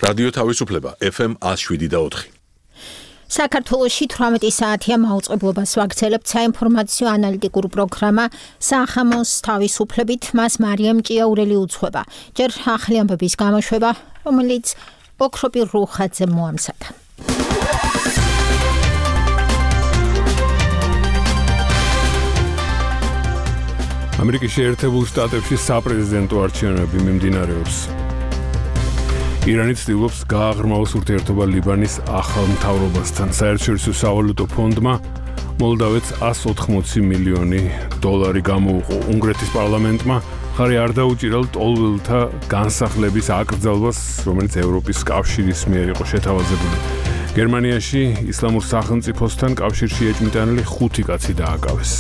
რადიო თავისუფლება FM 107.4. საქართველოში 18 საათია მაუწყებლობას ვაგრძელებთ საინფორმაციო ანალიტიკურ პროგრამა სახამოს თავისუფლებით, მას მარიამ ჭიაურელი უძღვება. ჯერ ახალი ამბების გამოშვება, რომელიც ოქროპირ რუხაძე მოამზადა. ამერიკის შეერთებულ შტატებში საპრეზიდენტო არჩევნები მიმდინარეობს. ირანი ცდილობს გააღრმავოს ურთიერთობა ლიბანის ახალ მთავრობასთან. საერთაშორისო სავალუტო ფონდმა მოლდავეთს $180 მილიონი გამოუყო. უნგრეთის პარლამენტმა ხარი არ დაუჭირა ლტოლვილთა განსახლების აკრძალვას, რომელიც ევროპის კავშირის მიერ იყო შეთავაზებული. გერმანიაში ისლამურ სახელმწიფოსთან კავშირში ეჭვმიტანილი 5 კაცი დააკავეს.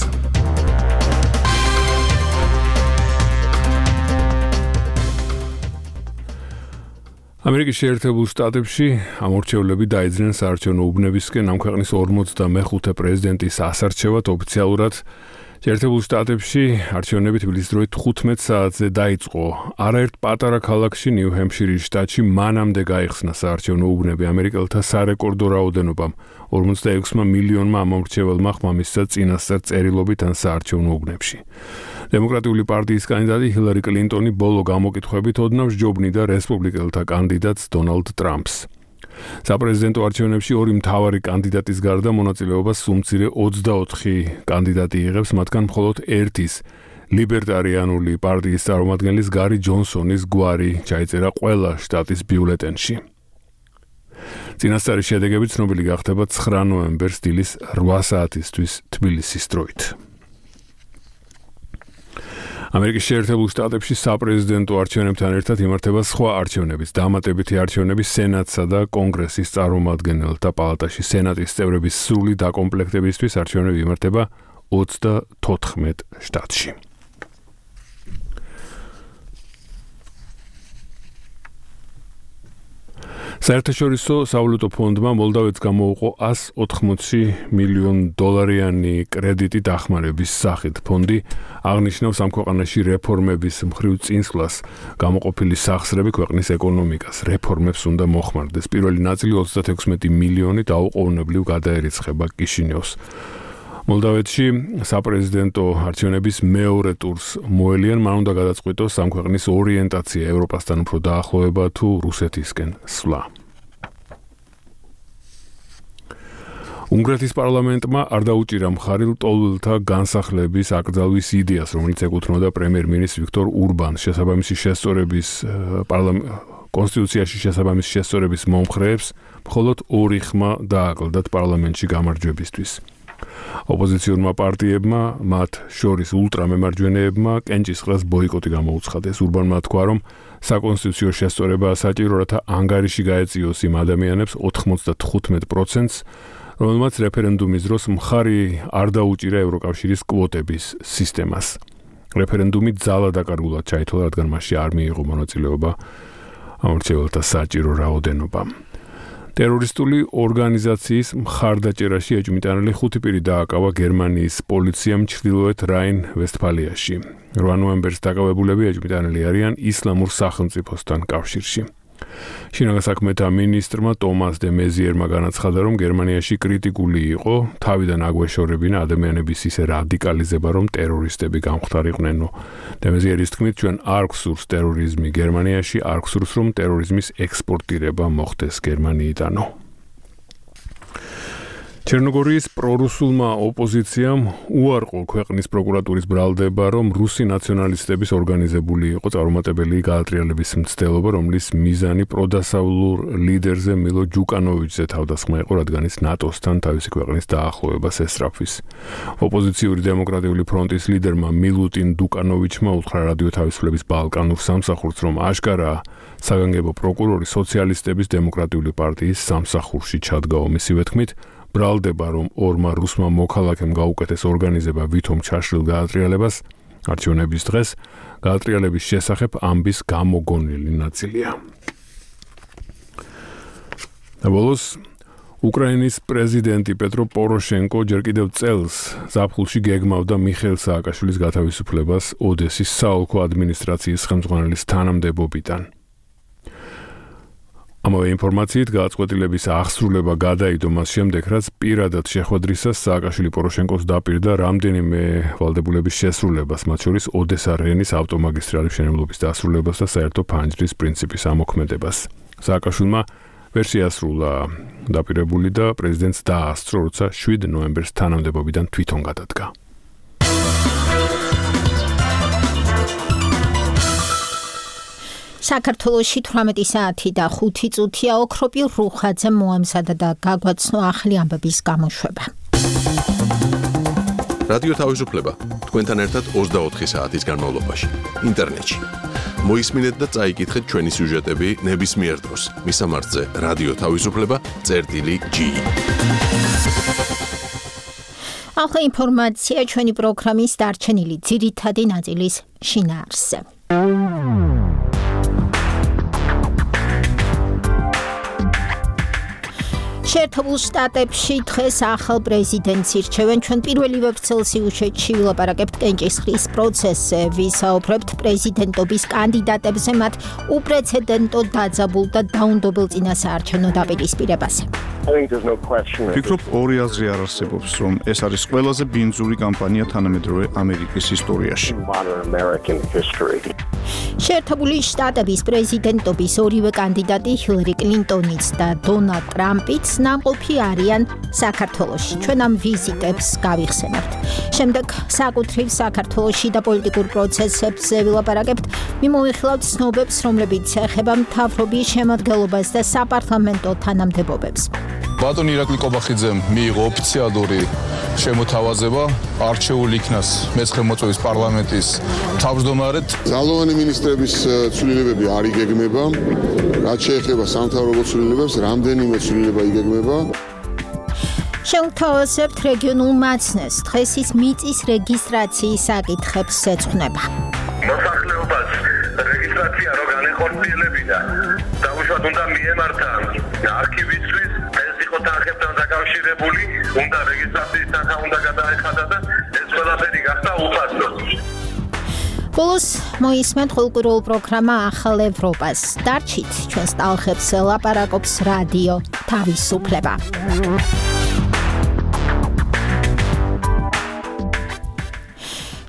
ამერიკის შეერთებულ შტატებში ამორჩევლები დაიძრნენ საარჩევნო უბნებისკენ ამ ქვეყნის 45 პრეზიდენტის ასარჩევად ოფიციალურად. შეერთებულ შტატებში არჩევნები თბილისის დროით 15 საათზე დაიწყო. არაერთ პატარა ქალაქში ნიუ-ჰემფშირის შტატში მანამდე გაიხსნა საარჩევნო უბნები ამერიკელთა სარეკორდო რაოდენობამ 46 მილიონმა ამორჩეველმა ხმამისცა წინასწარ წერილობით ან საარჩევნო უბნებში. დემოკრატიული პარტიის კანდიდატი ჰილარი კლინტონი ბოლო გამოკითხვებით ოდნავ სჯობნიდა რესპუბლიკელთა კანდიდატს დონალდ ტრამპს. საპრეზიდენტო არჩევნებში ორი მთავარი კანდიდატის გარდა მონაწილეობას უმცირე 24 კანდიდატი იღებს, მათგან მხოლოდ ერთის ლიბერტარიანული პარტიის წარმომადგენლის გარი ჯონსონის გვარი ჩაიწერა ყველა შტატის ბიულეტენში. წინასწარი შედეგები ცნობილი გახდება 9 ნოემბერს დილის 8 საათისთვის თბილისის დროით. ამერიკის შეერთებულ შტატებში საპრეზიდენტო არჩევნებთან ერთად იმართება სხვა არჩევნებიც. დამატებითი არჩევნები სენატსა და კონგრესის წარმომადგენელთა პალატაში. სენატის წევრების სრული დაკომპლექტებისთვის არჩევნები იმართება 34 შტატში. საერთაშორისო სავალუტო ფონდმა მოლდავეთს გამოუყო $180 მილიონიანი კრედიტი დახმარების სახით. ფონდი აღნიშნავს ამ ქვეყანაში რეფორმების მხრივ წინსვლას, გამოყოფილი სახსრები ქვეყნის ეკონომიკას. რეფორმებს უნდა მოხმარდეს. პირველი ნაწილი 36 მილიონი დაუყოვნებლივ გადაერიცხება კიშინიოვს. მოლდავეთში საპრეზიდენტო არჩევნების მეორე ტურს მოელიან, მან უნდა გადაწყვიტოს ამ ქვეყნის ორიენტაცია ევროპასთან უფრო დაახლოება თუ რუსეთისკენ სვლა. უნგრეთის პარლამენტმა არ დაუჭირა მხარი ლტოლვილთა განსახლების აკრძალვის იდეას, რომელიც ეკუთვნოდა პრემიერ-მინისტრ ვიქტორ ურბანს. კონსტიტუციაში შესაბამისი შესწორების მომხრეებს მხოლოდ 2 ხმა დააკლდათ პარლამენტში გამარჯვებისთვის. ოპოზიციურმა პარტიებმა, მათ შორის ულტრამემარჯვენეებმა, კენჭისყრას ბოიკოტი გამოუცხადეს. ურბანმა თქვა, რომ საკონსტიტუციო შესწორებაა საჭირო, რათა ანგარიში გაეწიოს იმ ადამიანებს 95%-ს, რომელმაც რეფერენდუმის დროს მხარი არ დაუჭირა ევროკავშირის კვოტების სისტემას. რეფერენდუმი ძალადაკარგულად ჩაითვალა, რადგან მასში არ მიიღო მონაწილეობა ამორჩეველთა საჭირო რაოდენობა. ტერორისტული ორგანიზაციის მხარდაჭერაში ეჭვმიტანილი 5 პირი დააკავა გერმანიის პოლიციამ ჩრდილოეთ რაინ-ვესტფალიაში. 8 ნოემბერს დაკავებულები ეჭვმიტანილი არიან ისლამურ სახელმწიფოსთან კავშირში. შინაგან საქმეთა მინისტრმა ტომას დე მეზიერმა განაცხადა, რომ გერმანიაში კრიტიკული იყო თავიდან აგვეშორებინა ადამიანების ისე რადიკალიზება, რომ ტერორისტები გამხდარიყვნენო. დე მეზიერის თქმით, ჩვენ არ გვსურს ტერორიზმი გერმანიაში, არ გვსურს, რომ ტერორიზმის ექსპორტირება მოხდეს გერმანიიდანო. ჩერნოგორიის პრორუსულმა ოპოზიციამ უარყო ქვეყნის პროკურატურის ბრალდება, რომ რუსი ნაციონალისტების ორგანიზებული იყო წარუმატებელი გაატრიალების მცდელობა, რომლის მიზანი პროდასავლურ ლიდერზე მილო ჯუკანოვიჩზე თავდასხმა იყო, რადგან ის ნატოსთან თავისი ქვეყნის დაახლოებას ესწრაფვის. ოპოზიციური დემოკრატიული ფრონტის ლიდერმა მილუტინ დუკანოვიჩმა უთხრა რადიო თავისუფლების ბალკანურ სამსახურს, რომ აშკარაა საგანგებო პროკურორი სოციალისტების დემოკრატიული პარტიის სამსახურში ჩადგაო. მისივე თქმით, ბრალდება, რომ ორმა რუსმა მოქალაქემ გაუკეთეს ორგანიზება ვითომ ჩაშლილ გაატრიალებას, არჩევნების დღეს გაატრიალების შესახებ ამბის გამოგონილი ნაწილია. ბოლოს უკრაინის პრეზიდენტი პეტრო პოროშენკო ჯერ კიდევ წელს ზაფხულში გეგმავდა მიხეილ სააკაშვილის გათავისუფლებას ოდესის საოლქო ადმინისტრაციის ხელმძღვანელის თანამდებობიდან. ამავე ინფორმაციით გააწყვეტილების აღსრულება გადაიდო მას შემდეგ, რაც პირადად შეხვედრისას სააკაშვილი პოროშენკოს დაპირდა რამდენიმე ვალდებულების შესრულებას, მათ შორის ოდესა-რენის ავტომაგისტრალის მშენებლობის დასრულებას და საერთო ფანჯრის პრინციპის ამოქმედებას. სააკაშვილმა ვერ შეასრულა დაპირებული და პრეზიდენტს დაასწრო, როცა 7 ნოემბერს თანამდებობიდან თვითონ გადადგა. საქართველოში 18 საათი და 5 წუთია ოქროპირ რუხაძე მოამზადა და გაგვაცნო ახლი ამბების გამოშვება. რადიო თავისუფლება თქვენთან ერთად 24 საათის განმავლობაში ინტერნეტში. მოისმინეთ და წაიკითხეთ ჩვენი სიუჟეტები ნებისმიერ დროს. მისამართზე რადიო თავისუფლება.gi. ახლა ინფორმაცია ჩვენი პროგრამის დარჩენილი ძირითადი ნაწილის შინაარსზე. შეერთებულ შტატებში დღეს ახალ პრეზიდენტს ირჩევენ. ჩვენ პირველივე ვრცელ სიუჟეტში ვილაპარაკებთ კენჭისყრის პროცესზე, ვისაუბრებთ პრეზიდენტობის კანდიდატებზე, მათ უპრეცედენტო დაძაბულ და დაუნდობელ წინასაარჩევნო დაპირისპირებაზე. ვფიქრობ, ორი აზრი არ არსებობს, რომ ეს არის ყველაზე ბინძური კამპანია თანამედროვე ამერიკის ისტორიაში. შეერთებული შტატების პრეზიდენტობის ორივე კანდიდატი ჰილარი კლინტონიც და დონალდ ტრამპიც ნამყოფი არიან საქართველოში. ჩვენ ამ ვიზიტებს გავიხსენებთ. შემდეგ საკუთრივ საქართველოში და პოლიტიკურ პროცესებზე ვილაპარაკებთ. მიმოვიხილავთ ცნობებს, რომლებიც ეხება მთავრობის შემადგენლობას და საპარლამენტო თანამდებობებს. ბატონი ირაკლი კობახიძემ მიიღო ოფიციალური შემოთავაზება არჩეულ იქნას მე-9 მოწვევის პარლამენტის თავმჯდომარედ. ძალოვანი მინისტრების ცვლილებები არ იგეგმება, რაც შეეხება სამთავრობო ცვლილებებს, რამდენიმე ცვლილება იგეგმება. შევთავაზებთ რეგიონულ მაცნეს, დღეს ის მიწის რეგისტრაციის საკითხებს ეძღვნება. მოსახლეობას რეგისტრაცია რო განეხორციელებინა, დაუშვათ უნდა მიემართა არქივისთვის, ეს იყო თანხებთან დაკავშირებული, უნდა რეგისტრაციის თანხა უნდა გადაეხადა და ეს ყველაფერი გახდა უფასო. ბოლოს მოისმენთ ყოველკვირეულ პროგრამა ახალ ევროპას. დარჩით ჩვენს ტალღებს ლაპარაკობს რადიო თავისუფლება.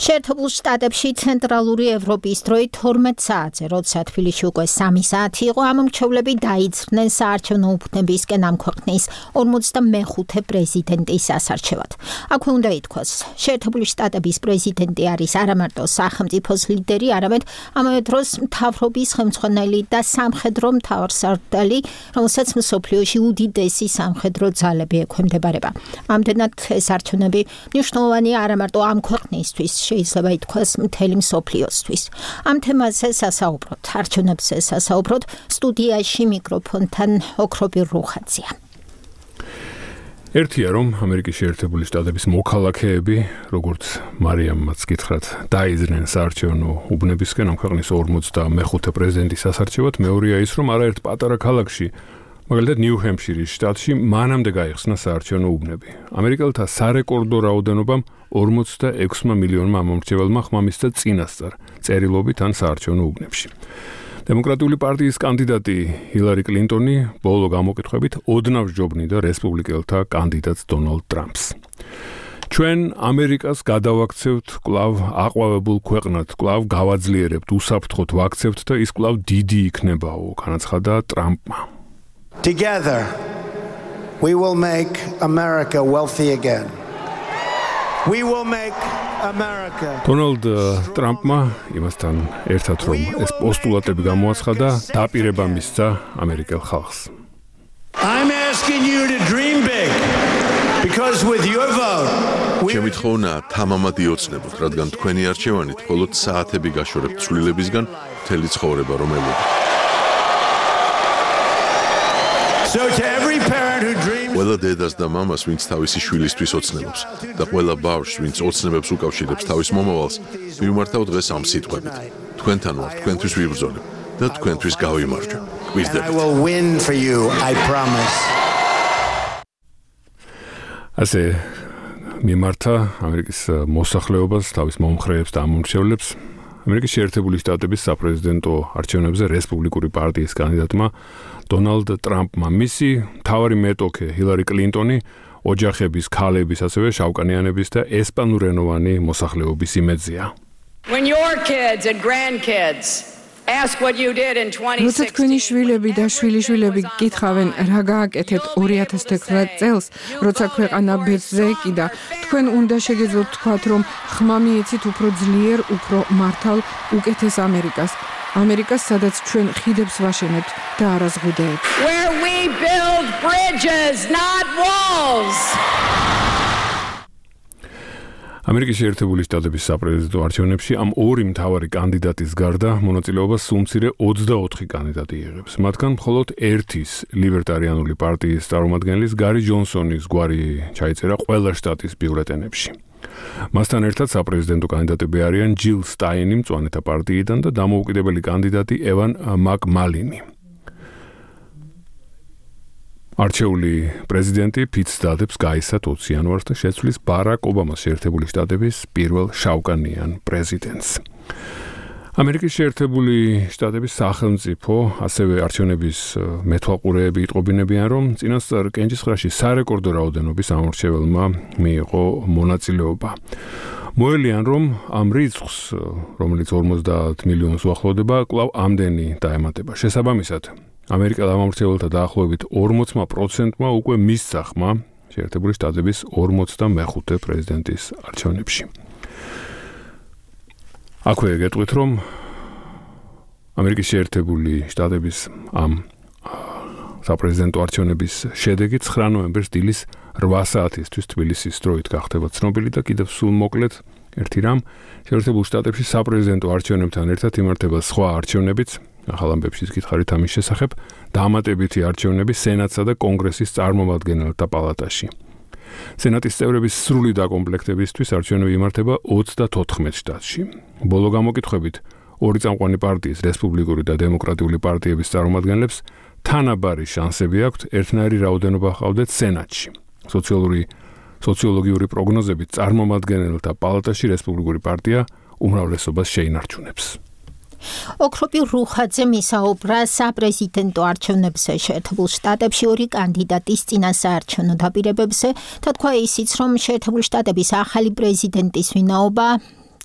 შეერთებულ შტატებში ცენტრალური ევროპის დროით 12 საათზე, როცა თბილისში უკვე 3 საათი იყო, ამ მრჩევლები დაიძრნენ საარჩევნო უბნებისკენ ამ ქვეყნის 45 პრეზიდენტის ასარჩევად. აქვე უნდა ითქვას, შეერთებული შტატების პრეზიდენტი არის არა მარტო სახელმწიფოს ლიდერი, არამედ ამავე დროს მთავრობის ხელმძღვანელი და სამხედრო მთავარსარდალი, რომელსაც მსოფლიოში უდიდესი სამხედრო ძალები ექვემდებარება. ამდენად ეს არჩევნები მნიშვნელოვანია არა მარტო ამ ქვეყნისთვის, შეიძლება ითქვას მთელი მსოფლიოსთვის. ამ თემაზე სასაუბროთ, არჩევნებზე სასაუბროთ, სტუდიაში მიკროფონთან ოქროპირ რუხაძეა. ერთია, რომ ამერიკის შეერთებული შტატების მოქალაქეები, როგორც მარიამმაც გითხრათ, დაიძრნენ საარჩევნო უბნებისკენ ამ ქვეყნის 45 პრეზიდენტის ასარჩევად. მეორეა ის, რომ არაერთ პატარა ქალაქში, მაგალითად ნიუ-ჰემფშირის შტატში, მანამდე გაიხსნა საარჩევნო უბნები. ამერიკელთა სარეკორდო რაოდენობამ 46 მილიონმა მომრჩეველმა ხმა მისცა წინასწარ წერილობით ან საარჩევნო უბნებში. დემოკრატიული პარტიის კანდიდატი ჰილარი კლინტონი ბოლო გამოკითხვებით ოდნავ სჯობნიდა რესპუბლიკელთა კანდიდატს დონალდ ტრამპს. ჩვენ ამერიკას გადავაქცევთ კვლავ აყვავებულ ქვეყნად, კვლავ გავაძლიერებთ, უსაფრთხოდ ვაქცევთ და ის კვლავ დიდი იქნებაო, განაცხადა ტრამპმა. Together, we will make America wealthy again. We will make America. დონალდ ტრამპმა იმასთან ერთად რომ ეს პოსტულატები გამოაცხადა, დაპირება მისცა ამერიკელ ხალხს. I'm asking you to dream big because with your vote ჩემი თხოვნა თამამად იოცნებოთ, რადგან თქვენი არჩევანით მხოლოდ საათები გაშორებთ ცვლილებისგან მთელი ცხოვრება რომ ელოდოთ. So to every parent who dreams ყველა დედას და მამას, ვინც თავისი შვილისთვის ოცნებობს და ყველა ბავშვს, ვინც ოცნებებს უკავშირებს თავის მომავალს, მივმართავ დღეს ამ სიტყვებით. თქვენთან ვარ, თქვენთვის ვიბრძოლებ და თქვენთვის გავიმარჯვებ. I will win for you, I promise. ასე მიმართა ამერიკის მოსახლეობას, თავის მომხრეებს და ამომრჩევლებს ამერიკის შეერთებული შტატების საპრეზიდენტო არჩევნებზე რესპუბლიკური პარტიის კანდიდატმა დონალდ ტრამპმა მისი მთავარი მეტოქე ჰილარი კლინტონი ოჯახების, ქალების, ასევე შავკანიანების და ესპანურენოვანი მოსახლეობის იმედზეა. When your kids and grandkids ask what you did in 2016. როცა თქვენი შვილები და შვილიშვილები გკითხავენ, რა გააკეთეთ 2019 წელს, როცა ქვეყანა ბედზე ეკიდა, თქვენ უნდა შეგეძლოთ თქვათ, რომ ხმა მიეცით უფრო ძლიერ, უფრო მართალ, უკეთეს ამერიკას. ამერიკას, სადაც ჩვენ ხიდებს ვაშენებთ და არა ზღუდეებს. Where we build bridges, not walls. ამერიკის შეერთებული შტატების საპრეზიდენტო არჩევნებში ამ ორი მთავარი კანდიდატის გარდა მონაწილეობას სულ მცირე 24 კანდიდატი იღებს. მათგან მხოლოდ ერთის ლიბერტარიანული პარტიის წარმომადგენლის გარი ჯონსონის გვარი ჩაიწერა ყველა შტატის ბიულეტენებში. მასთან ერთად საპრეზიდენტო კანდიდატები არიან ჯილ სტაინი მწვანეთა პარტიიდან და დამოუკიდებელი კანდიდატი ევან მაკმალინი. არჩეული პრეზიდენტი ფიცდადებს გაისად 20 იანვარს და შეცვლის ბარაკ ობამას შეერთებული შტატების პირველ შავკანიან პრეზიდენტს. ამერიკის შეერთებული შტატების სახელმწიფო ასევე არჩევნების მეთვალყურეები იტყობინებიან, რომ წინასწარ კენჭისყრაში სარეკორდო რაოდენობის ამორჩეველმა მიიღო მონაწილეობა. მოელიან, რომ ამ რიცხვს, რომელიც 50 მილიონს უახლოვდება, კვლავ ამდენი დაემატება. შესაბამისად, ამერიკელ ამორჩეველთა დაახლოებით 40%-მა უკვე მისცა ხმა შეერთებული შტატების 45 პრეზიდენტის არჩევნებში. აქვე გეტყვით, რომ ამერიკის შეერთებული შტატების ამ საპრეზიდენტო არჩევნების შედეგი 9 ნოემბერს დილის 8 საათისთვის თბილისის დროით გახდება ცნობილი და კიდევ სულ მოკლედ ერთი რამ, შეერთებულ შტატებში საპრეზიდენტო არჩევნებთან ერთად იმართება სხვა არჩევნებიც, ახალ ამბებშიც გითხარით ამის შესახებ, დამატებითი არჩევნები სენატსა და კონგრესის წარმომადგენელთა პალატაში. სენატის წევრების სრული დაკომპლექტებისთვის არჩევნები იმართება 34 შტატში. ბოლო გამოკითხვებით, ორი წამყვანი პარტიის, რესპუბლიკური და დემოკრატიული პარტიების წარმომადგენლებს თანაბარი შანსები აქვთ ერთნაირი რაოდენობა ჰყავდეთ სენატში. სოციოლოგიური პროგნოზებით წარმომადგენელთა პალატაში რესპუბლიკური პარტია უმრავლესობას შეინარჩუნებს. ოქროპი რუხაძე მისაუბრა საპრეზიდენტო არჩევნებზე შეერთებულ შტატებში ორი კანდიდატის წინასაარჩევნო დაპირებებზე და თქვა ისიც, რომ შეერთებული შტატების ახალი პრეზიდენტის ვინაობა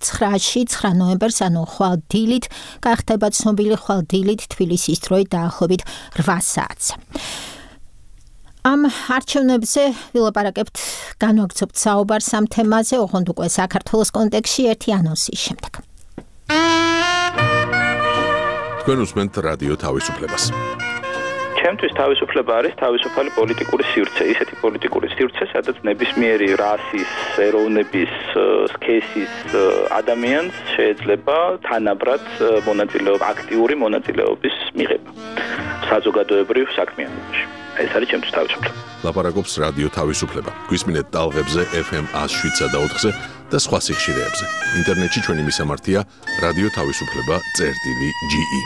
9 ნოემბერს, ანუ ხვალ დილით, გახდება ცნობილი ხვალ დილით თბილისის დროით დაახლოებით 8 საათს. ამ არჩევნებზე ვილაპარაკებთ, განვაგრძობთ საუბარს ამ თემაზე, ოღონდ უკვე საქართველოს კონტექსტში ერთი ანონსის შემდეგ. თქვენ უსმენთ რადიო თავისუფლებას. ჩემთვის თავისუფლება არის თავისუფალი პოლიტიკური სივრცე, ისეთი პოლიტიკური სივრცე, სადაც ნებისმიერი რასის, ეროვნების, სქესის ადამიანს შეიძლება თანაბრად აქტიური მონაწილეობის მიღება საზოგადოებრივ საქმიანობაში. ეს არის ჩემთვის თავისუფლება. ლაპარაკობს რადიო თავისუფლება. გვისმინეთ ტალღებზე FM 107.4-ზე და სხვა სიხშირეებზე. ინტერნეტში ჩვენი მისამართია რადიო თავისუფლება.ge.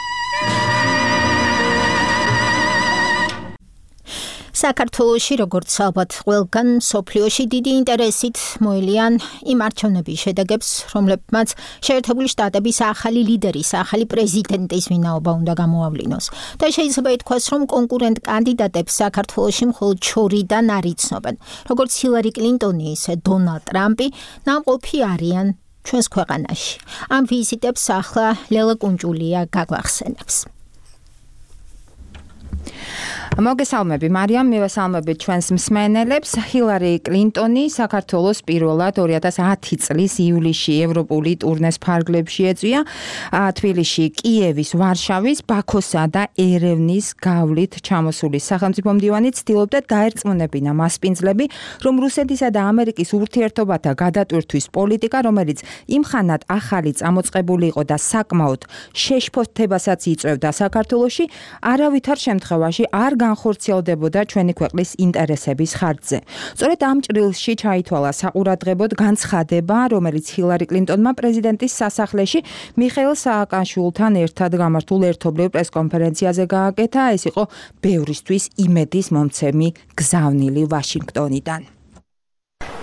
საქართველოში, როგორც ალბათ ყველგან მსოფლიოში დიდი ინტერესით მოელიან იმ არჩევნების შედეგებს, რომლებმაც შეერთებული შტატების ახალი ლიდერის, ახალი პრეზიდენტის ვინაობა უნდა გამოავლინოს. და შეიძლება ითქვას, რომ კონკურენტ კანდიდატებს საქართველოში მხოლოდ შორიდან არ იცნობენ. როგორც ჰილარი კლინტონი, ისე დონალდ ტრამპი ნამყოფი არიან ჩვენს ქვეყანაში. ამ ვიზიტებს ახლა ლელა კუნჭულია გაგვახსენებს. მოგესალმები მარიამ, მივესალმებით ჩვენს მსმენელებს. ჰილარი კლინტონი საქართველოს პირველად 2010 წლის ივლისში ევროპული ტურნეს ფარგლებში ეწვია. თბილისში, კიევის, ვარშავის, ბაქოსა და ერევნის გავლით ჩამოსული სახელმწიფო მდივანი ცდილობდა დაერწმუნებინა მასპინძლები, რომ რუსეთისა და ამერიკის ურთიერთობათა გადატვირთვის პოლიტიკა, რომელიც იმხანად ახალი წამოწყებული იყო და საკმაოდ შეშფოთებასაც იწვევდა საქართველოში, არავითარ შემთხვევაში არ განხორციელდებოდა ჩვენი ქვეყნის ინტერესების ხარჯზე. სწორედ ამ ჭრილში ჩაითვალა საყურადღებოდ განცხადება, რომელიც ჰილარი კლინტონმა პრეზიდენტის სასახლეში მიხეილ სააკაშვილთან ერთად გამართულ ერთობლივ პრესკონფერენციაზე გააკეთა. ეს იყო ბევრისთვის იმედის მომცემი გზავნილი ვაშინგტონიდან.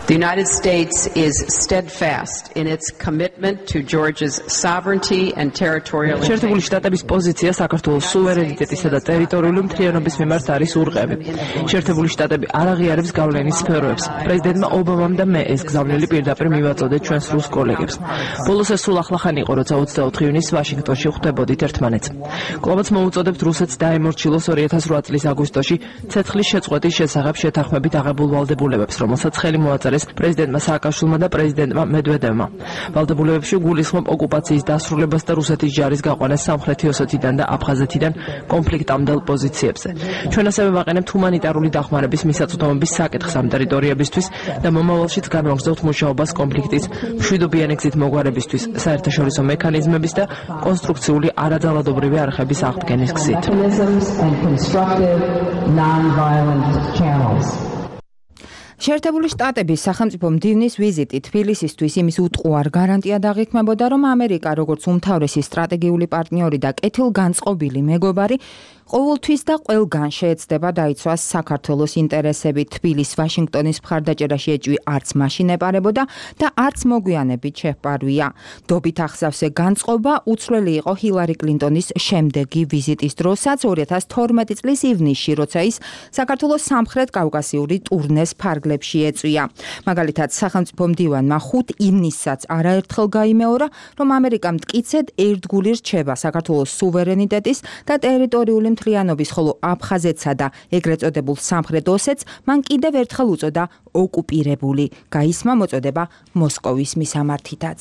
The United States is steadfast in its commitment to Georgia's sovereignty and territorial integrity. შეერთებული შტატების პოზიცია საქართველოს სუვერენიტეტისა და ტერიტორიული მთლიანობის მიმართ არის ურყევი. შეერთებული შტატები არ აღიარებს გავლენის სფეროებს. პრეზიდენტმა ობამამ და მე ეს გზავნილი პირდაპირ მივაწოდეთ ჩვენს რუს კოლეგებს. ბოლოს ეს სულ ახლახანი იყო, როცა 24 ივნისს ვაშინგტონში ხვდებოდით ერთმანეთს. კვლავაც მოუწოდებთ რუსეთს დაემორჩილოს 2008 წლის აგვისტოში ცეცხლის შეწყვეტის შესახებ შეთანხმებით აღებულ ვალდებულებებს, რომელსაც ხელი მოაწერეს პრეზიდენტმა სააკაშვილმა და პრეზიდენტმა მედვედევმა. ვალდებულებებში გულისხმობ ოკუპაციის დასრულებას და რუსეთის ჯარის გაყვანას სამხრეთი ოსეთიდან და აფხაზეთიდან კონფლიქტამდელ პოზიციებზე. ჩვენ ასევე ვაყენებთ ჰუმანიტარული დახმარების მისაწვდომობის საკითხს ამ ტერიტორიებისთვის და მომავალშიც განვაგრძობთ მუშაობას კონფლიქტის მშვიდობიანი გზით მოგვარებისთვის, საერთაშორისო მექანიზმების და კონსტრუქციული არაძალადობრივი არხების აღდგენის გზით. შეერთებული შტატების სახელმწიფო მდივნის ვიზიტი თბილისისთვის იმის უტყუარ გარანტია დაღიქმებოდა, რომ ამერიკა როგორც უმთავრესი სტრატეგიული პარტნიორი და კეთილგანწყობილი მეგობარი ყოველთვის და ყველგან შეეცდება დაიცვას საქართველოს ინტერესები. თბილის ვაშინგტონის მხარდაჭერაში ეჭვი არც მაშინ ეპარებოდა და არც მოგვიანებით შეჰპარვია. დობით ახსავსე განწყობა უცვლელი იყო ჰილარი კლინტონის შემდეგი ვიზიტის დროსაც 2012 წლის ივნისში, როცა ის საქართველოს სამხრეთ კავკასიური ტურნეს ფარგლებში ეწვია. მაგალითად, სახელმწიფო მდივანმა 5 ივნისსაც არაერთხელ გაიმეორა, რომ ამერიკა მტკიცედ ერთგული რჩება საქართველოს სუვერენიტეტის და ტერიტორიული მთლიანობის, ხოლო აფხაზეთსა და ეგრეთ წოდებულ სამხრეთ ოსეთს მან კიდევ ერთხელ უწოდა ოკუპირებული. გაისმა მოწოდება მოსკოვის მისამართითაც.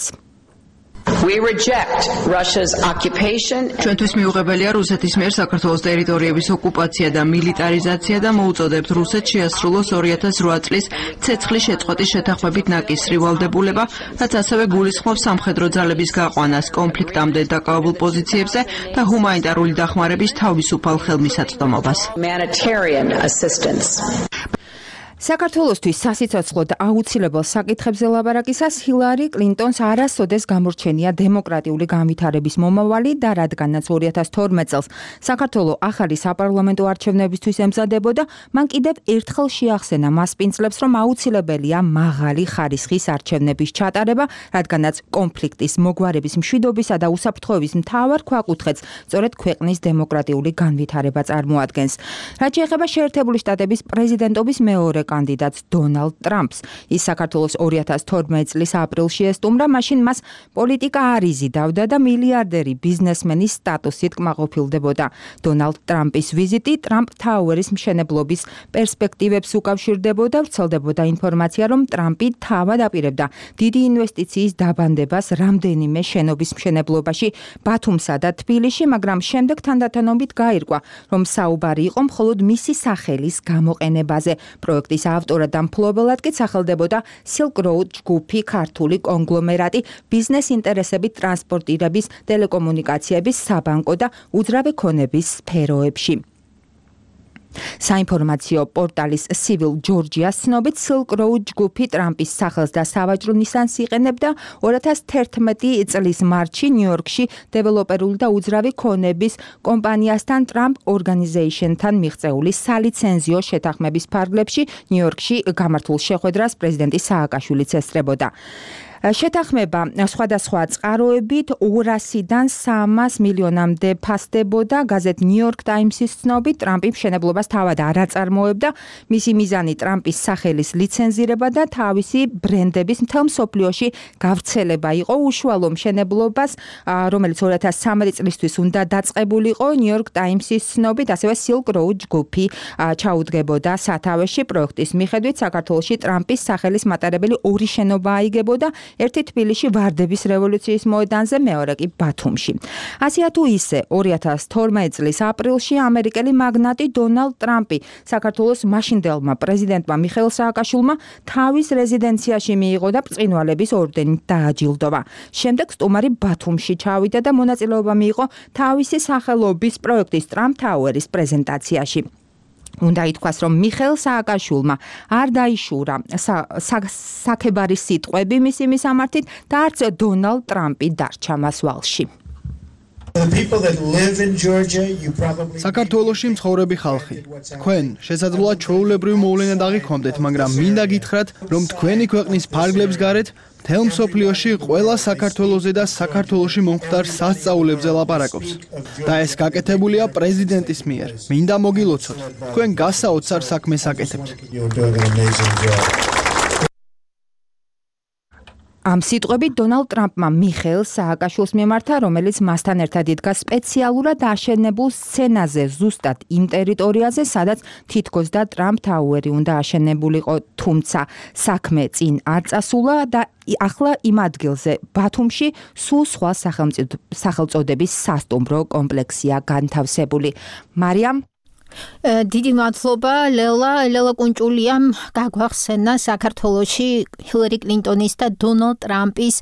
We reject Russia's occupation. ჩვენთვის მიუღებელია რუსეთის მიერ საქართველოს ტერიტორიების ოკუპაცია და მილიტარიზაცია და მოუწოდებთ რუსეთს შეასრულოს 2008 წლის ცეცხლის შეწყვეტის შეთანხმებით ნაკისრი ვალდებულება, რაც ასევე გულისხმობს სამხედრო ძალების გაყვანას კონფლიქტამდე დაკავებულ პოზიციებზე და ჰუმანიტარული დახმარების თავისუფალ ხელმისაწვდომობას. Humanitarian assistance. საქართველოსთვის სასიცოცხლო და აუცილებელ საკითხებზე ლაბარაკისას ჰილარი კლინტონს არასოდეს გამორჩენია დემოკრატიული განვითარების მომავალი და რადგანაც 2012 წელს საქართველოს ახალი საპარლამენტო არჩევნებისთვის ემზადებოდა, მან კიდევ ერთხელ შეახსენა მას პინძლებს, რომ აუცილებელია მაღალი ხარისხის არჩევნების ჩატარება, რადგანაც კონფლიქტის, მოგვარების, მშვიდობისა და უსაფრთხოების მთავარ ქვაკუთხედს სწორედ ქვეყნის დემოკრატიული განვითარება წარმოადგენს. რაც შეეხება შეერთებული შტატების პრეზიდენტობის მეორე კანდიდატს დონალდ ტრამპს. ის საქართველოს 2012 წლის აპრილში ესტუმრა, მაშინ მას პოლიტიკა არ იზიდავდა და მილიარდერი ბიზნესმენის სტატუსით კმაყოფილდებოდა. დონალდ ტრამპის ვიზიტი ტრამპ თაუერის მშენებლობის პერსპექტივებს უკავშირდებოდა, ვრცელდებოდა ინფორმაცია, რომ ტრამპი თავად აპირებდა დიდი ინვესტიციის დაბანდებას რამდენიმე შენობის მშენებლობაში ბათუმსა და თბილისში, მაგრამ შემდეგ თანდათანობით გაირკვა, რომ საუბარი იყო მხოლოდ მისი სახელის გამოყენებაზე. პროექტის ავტორად და მფლობელად კი სახელდებოდა Silk Road ჯგუფი, ქართული კონგლომერატი, ბიზნეს ინტერესებით ტრანსპორტირების, ტელეკომუნიკაციების, საბანკო და უძრავი ქონების სფეროებში. საინფორმაციო პორტალის Civil Georgia-ს ცნობით Silk Road ჯგუფი ტრამპის სახელს და სავაჭრო ნისანს იყენებდა 2011 წლის მარტში ნიუ-იორკში დეველოპერული და უძრავი ქონების კომპანიასთან Trump Organization-თან მიღწეული სალიცენზიო შეთანხმების ფარგლებში ნიუ-იორკში გამართულ შეხვედრას პრეზიდენტი სააკაშვილიც ესწრებოდა. შეთანხმება სხვადასხვა წყაროებით 200-დან 300 მილიონამდე ფასდებოდა. გაზეთ New York Times-ის ცნობით, ტრამპი მშენებლობას თავად არ აწარმოებდა. მისი მიზანი ტრამპის სახელის ლიცენზირება და თავისი ბრენდების მთელ მსოფლიოში გავრცელება იყო. უშუალო მშენებლობას, რომელიც 2013 წლისთვის უნდა დაწყებულიყო, New York Times-ის ცნობით, ასევე Silk Road ჯგუფი ჩაუდგებოდა სათავეში. პროექტის მიხედვით საქართველოში ტრამპის სახელის მატარებელი ორი შენობა აიგებოდა. ერთი თბილისში ვარდების რევოლუციის მოედანზე, მეორე კი ბათუმში. ასეა თუ ისე 2012 წლის აპრილში ამერიკელი მაგნატი დონალდ ტრამპი საქართველოს მაშინდელმა პრეზიდენტმა მიხეილ სააკაშვილმა თავის რეზიდენციაში მიიღო და ბრწყინვალების ორდენით დააჯილდოვა. შემდეგ სტუმარი ბათუმში ჩავიდა და მონაწილეობა მიიღო თავისი სახელობის პროექტის Trump Tower-ის პრეზენტაციაში. უნდა ითქვას, რომ მიხეილ სააკაშვილმა არ დაიშურა საქებარის სიტყვები მისი მისამართით და არც დონალდ ტრამპი დარჩა მას ვალში. საქართველოში მცხოვრები ხალხი, თქვენ შესაძლოა ჩვეულებრივ მოვლენად აღიქვამდეთ, მაგრამ მინდა გითხრათ, რომ თქვენი ქვეყნის ფარგლებს გარეთ მთელ მსოფლიოში ყველა საქართველოზე და საქართველოში მომხდარ სასწაულებზე ლაპარაკობს. და ეს გაკეთებულია პრეზიდენტის მიერ. მინდა მოგილოცოთ, თქვენ გასაოცარ საქმეს აკეთებთ. ამ სიტყვებით დონალდ ტრამპმა მიხეილ სააკაშვილს მიემართა, რომელიც მასთან ერთად იდგა სპეციალურად აშენებულ სცენაზე, ზუსტად იმ ტერიტორიაზე, სადაც თითქოს და ტრამპ თაუერი უნდა აშენებულიყო, თუმცა საქმე წინ არ წასულა და ახლა იმ ადგილზე ბათუმში სულ სხვა სახელწოდების სასტუმრო კომპლექსია განთავსებული. მარიამ დიდი მადლობა ლელა კუნჭულიამ გაგვახსენა საქართველოში ჰილარი კლინტონის და დონალდ ტრამპის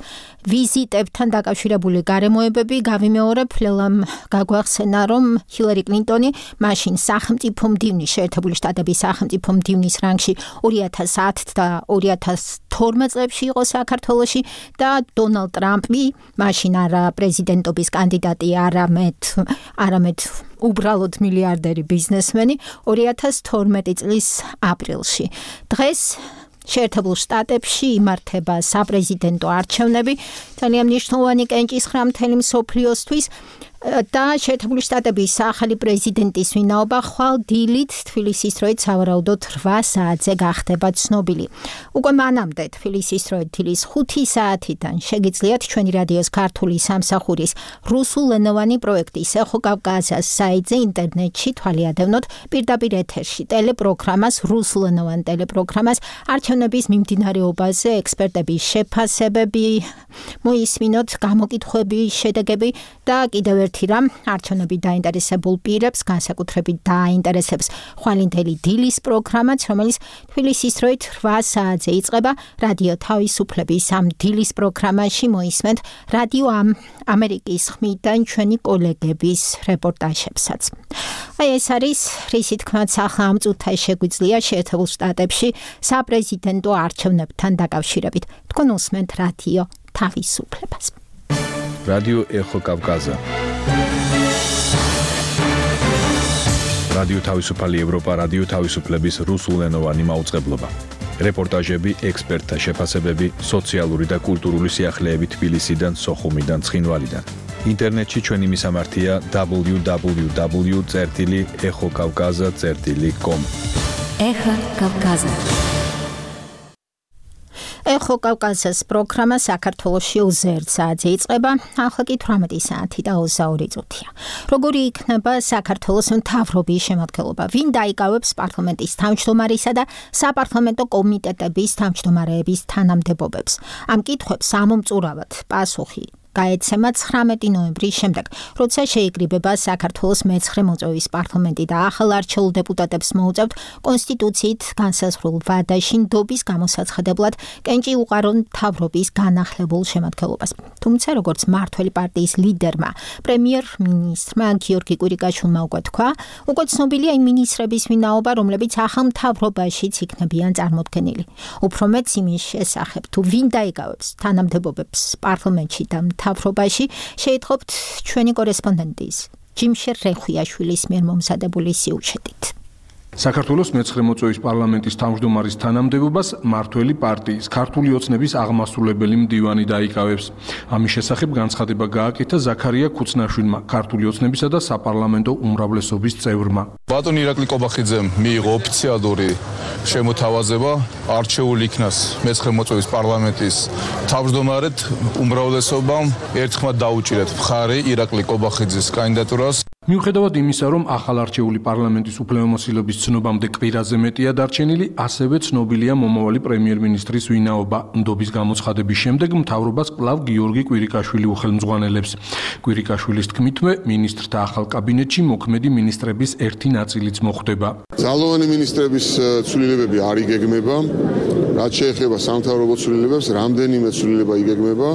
ვიზიტებთან დაკავშირებული გარემოებები. გავიმეორებ, ლელამ გაგვახსენა, რომ ჰილარი კლინტონი მაშინ სახელმწიფო მდივნის შეერთებული შტატების სახელმწიფო მდივნის რანგში 2010 და 2012 წლებში იყო საქართველოში და დონალდ ტრამპი მაშინ არა პრეზიდენტობის კანდიდატი, არამედ უბრალოდ მილიარდერი ბიზნესმენი 2012 წლის აპრილში. დღეს შეერთებულ შტატებში იმართება საპრეზიდენტო არჩევნები, ძალიან მნიშვნელოვანი კენჭისხრა მთელი მსოფლიოსთვის და შეერთებული შტატების ახალი პრეზიდენტის ვინაობა ხვალ დილით თბილისის დროით სავარაუდოდ 8 საათზე გახდება ცნობილი. უკვე მანამდე თბილისის დროით დილის 5 საათიდან შეგიძლიათ ჩვენი რადიოს ქართული სამსახურის რუსულენოვანი პროექტის ეხო კავკასიას საიტზე ინტერნეტში თვალიადევნოთ პირდაპირ ეთერში ტელეპროგრამას, რუსულენოვან ტელეპროგრამას არჩევნების მიმდინარეობაზე, ექსპერტების შეფასებები, მოისმინოთ გამოკითხვები, შედეგები და კიდევ ერთი რამ, არჩევნები დაინტერესებულ პირებს, განსაკუთრებით დაინტერესებს ხვალინდელი დილის პროგრამაც, რომელიც თბილისის დროით 8 საათზე იწყება. რადიო თავისუფლების ამ დილის პროგრამაში მოისმენთ რადიო ამერიკის ხმიდან ჩვენი კოლეგების რეპორტაჟებსაც. ეს არის რისი თქმაც ახლა ამ წუთას შეგვიძლია შეერთებულ შტატებში საპრეზიდენტო არჩევნებთან დაკავშირებით. თქვენ უსმენთ რადიო თავისუფლებას. რადიო ეხო კავკასია. რადიო თავისუფალი ევროპა, რადიო თავისუფლების რუსულენოვანი მაუწყებლობა. რეპორტაჟები, ექსპერტთა შეფასებები, სოციალური და კულტურული სიახლეები თბილისიდან, სოხუმიდან, ცხინვალიდან. ინტერნეტში ჩვენი მისამართია www.ეხოკავკაზა.com. ეხო კავკასია. ეხო კავკასიას პროგრამა საქართველოში 21 საათზე იწყება, ახლა კი 18 საათი და 22 წუთია. როგორი იქნება საქართველოს მთავრობის შემადგენლობა? ვინ დაიკავებს პარლამენტის თავმჯდომარისა და საპარლამენტო კომიტეტების თავმჯდომარეების თანამდებობებს? ამ კითხვებს ამომწურავად პასუხი გაეცემა 19 ნოემბრის შემდეგ, როცა შეიკრიბება საქართველოს მე-9 მოწვევის პარლამენტი და ახალ არჩეულ დეპუტატებს მოუწევთ კონსტიტუციით განსაზღვრულ ვადაში ნდობის გამოსაცხადებლად კენჭი უყარონ მთავრობის განახლებულ შემადგენლობას. თუმცა, როგორც მმართველი პარტიის ლიდერმა, პრემიერ-მინისტრმა გიორგი კვირიკაშვილმა უკვე თქვა, უკვე ცნობილია იმ მინისტრების ვინაობა, რომლებიც ახალ მთავრობაშიც იქნებიან წარმოდგენილი. უფრო მეც იმის შესახებ, თუ ვინ დაიკავებს თანამდებობებს პარლამენტში და მთავრობაში, შეიტყობთ ჩვენი კორესპონდენტის ჯიმშერ რეხვიაშვილის მიერ მომზადებული სიუჟეტით. საქართველოს მე-9 მოწვევის პარლამენტის თავმჯდომარის თანამდებობას მმართველი პარტიის ქართული ოცნების აღმასრულებელი მდივანი დაიკავებს. ამის შესახებ განცხადება გააკეთა ზაქარია ქუცნაშვილმა, ქართული ოცნებისა და საპარლამენტო უმრავლესობის წევრმა. ბატონ ირაკლი კობახიძემ მიიღო ოფიციალური შემოთავაზება არჩეულ იქნას მე-9 მოწვევის პარლამენტის თავმჯდომარედ უმრავლესობამ ერთხმად დაუჭირეთ მხარი ირაკლი კობახიძის კანდიდატურას. მიუხედავად იმისა, რომ ახალ არჩეული პარლამენტის უფლებამოსილების ცნობამდე კვირაზე მეტია დარჩენილი, ასევე ცნობილია მომავალი პრემიერ-მინისტრის ვინაობა. ნდობის გამოცხადების შემდეგ მთავრობას კვლავ გიორგი კვირიკაშვილი უხელმძღვანელებს. კვირიკაშვილის თქმითმე, მინისტრთა ახალ კაბინეტში მოქმედი მინისტრების ერთი ნაწილიც მოხვდება. ძალოვანი მინისტრების ცვლილებები არ იგეგმება, რაც შეეხება სამთავრობო ცვლილებებს, რამდენიმე ცვლილება იგეგმება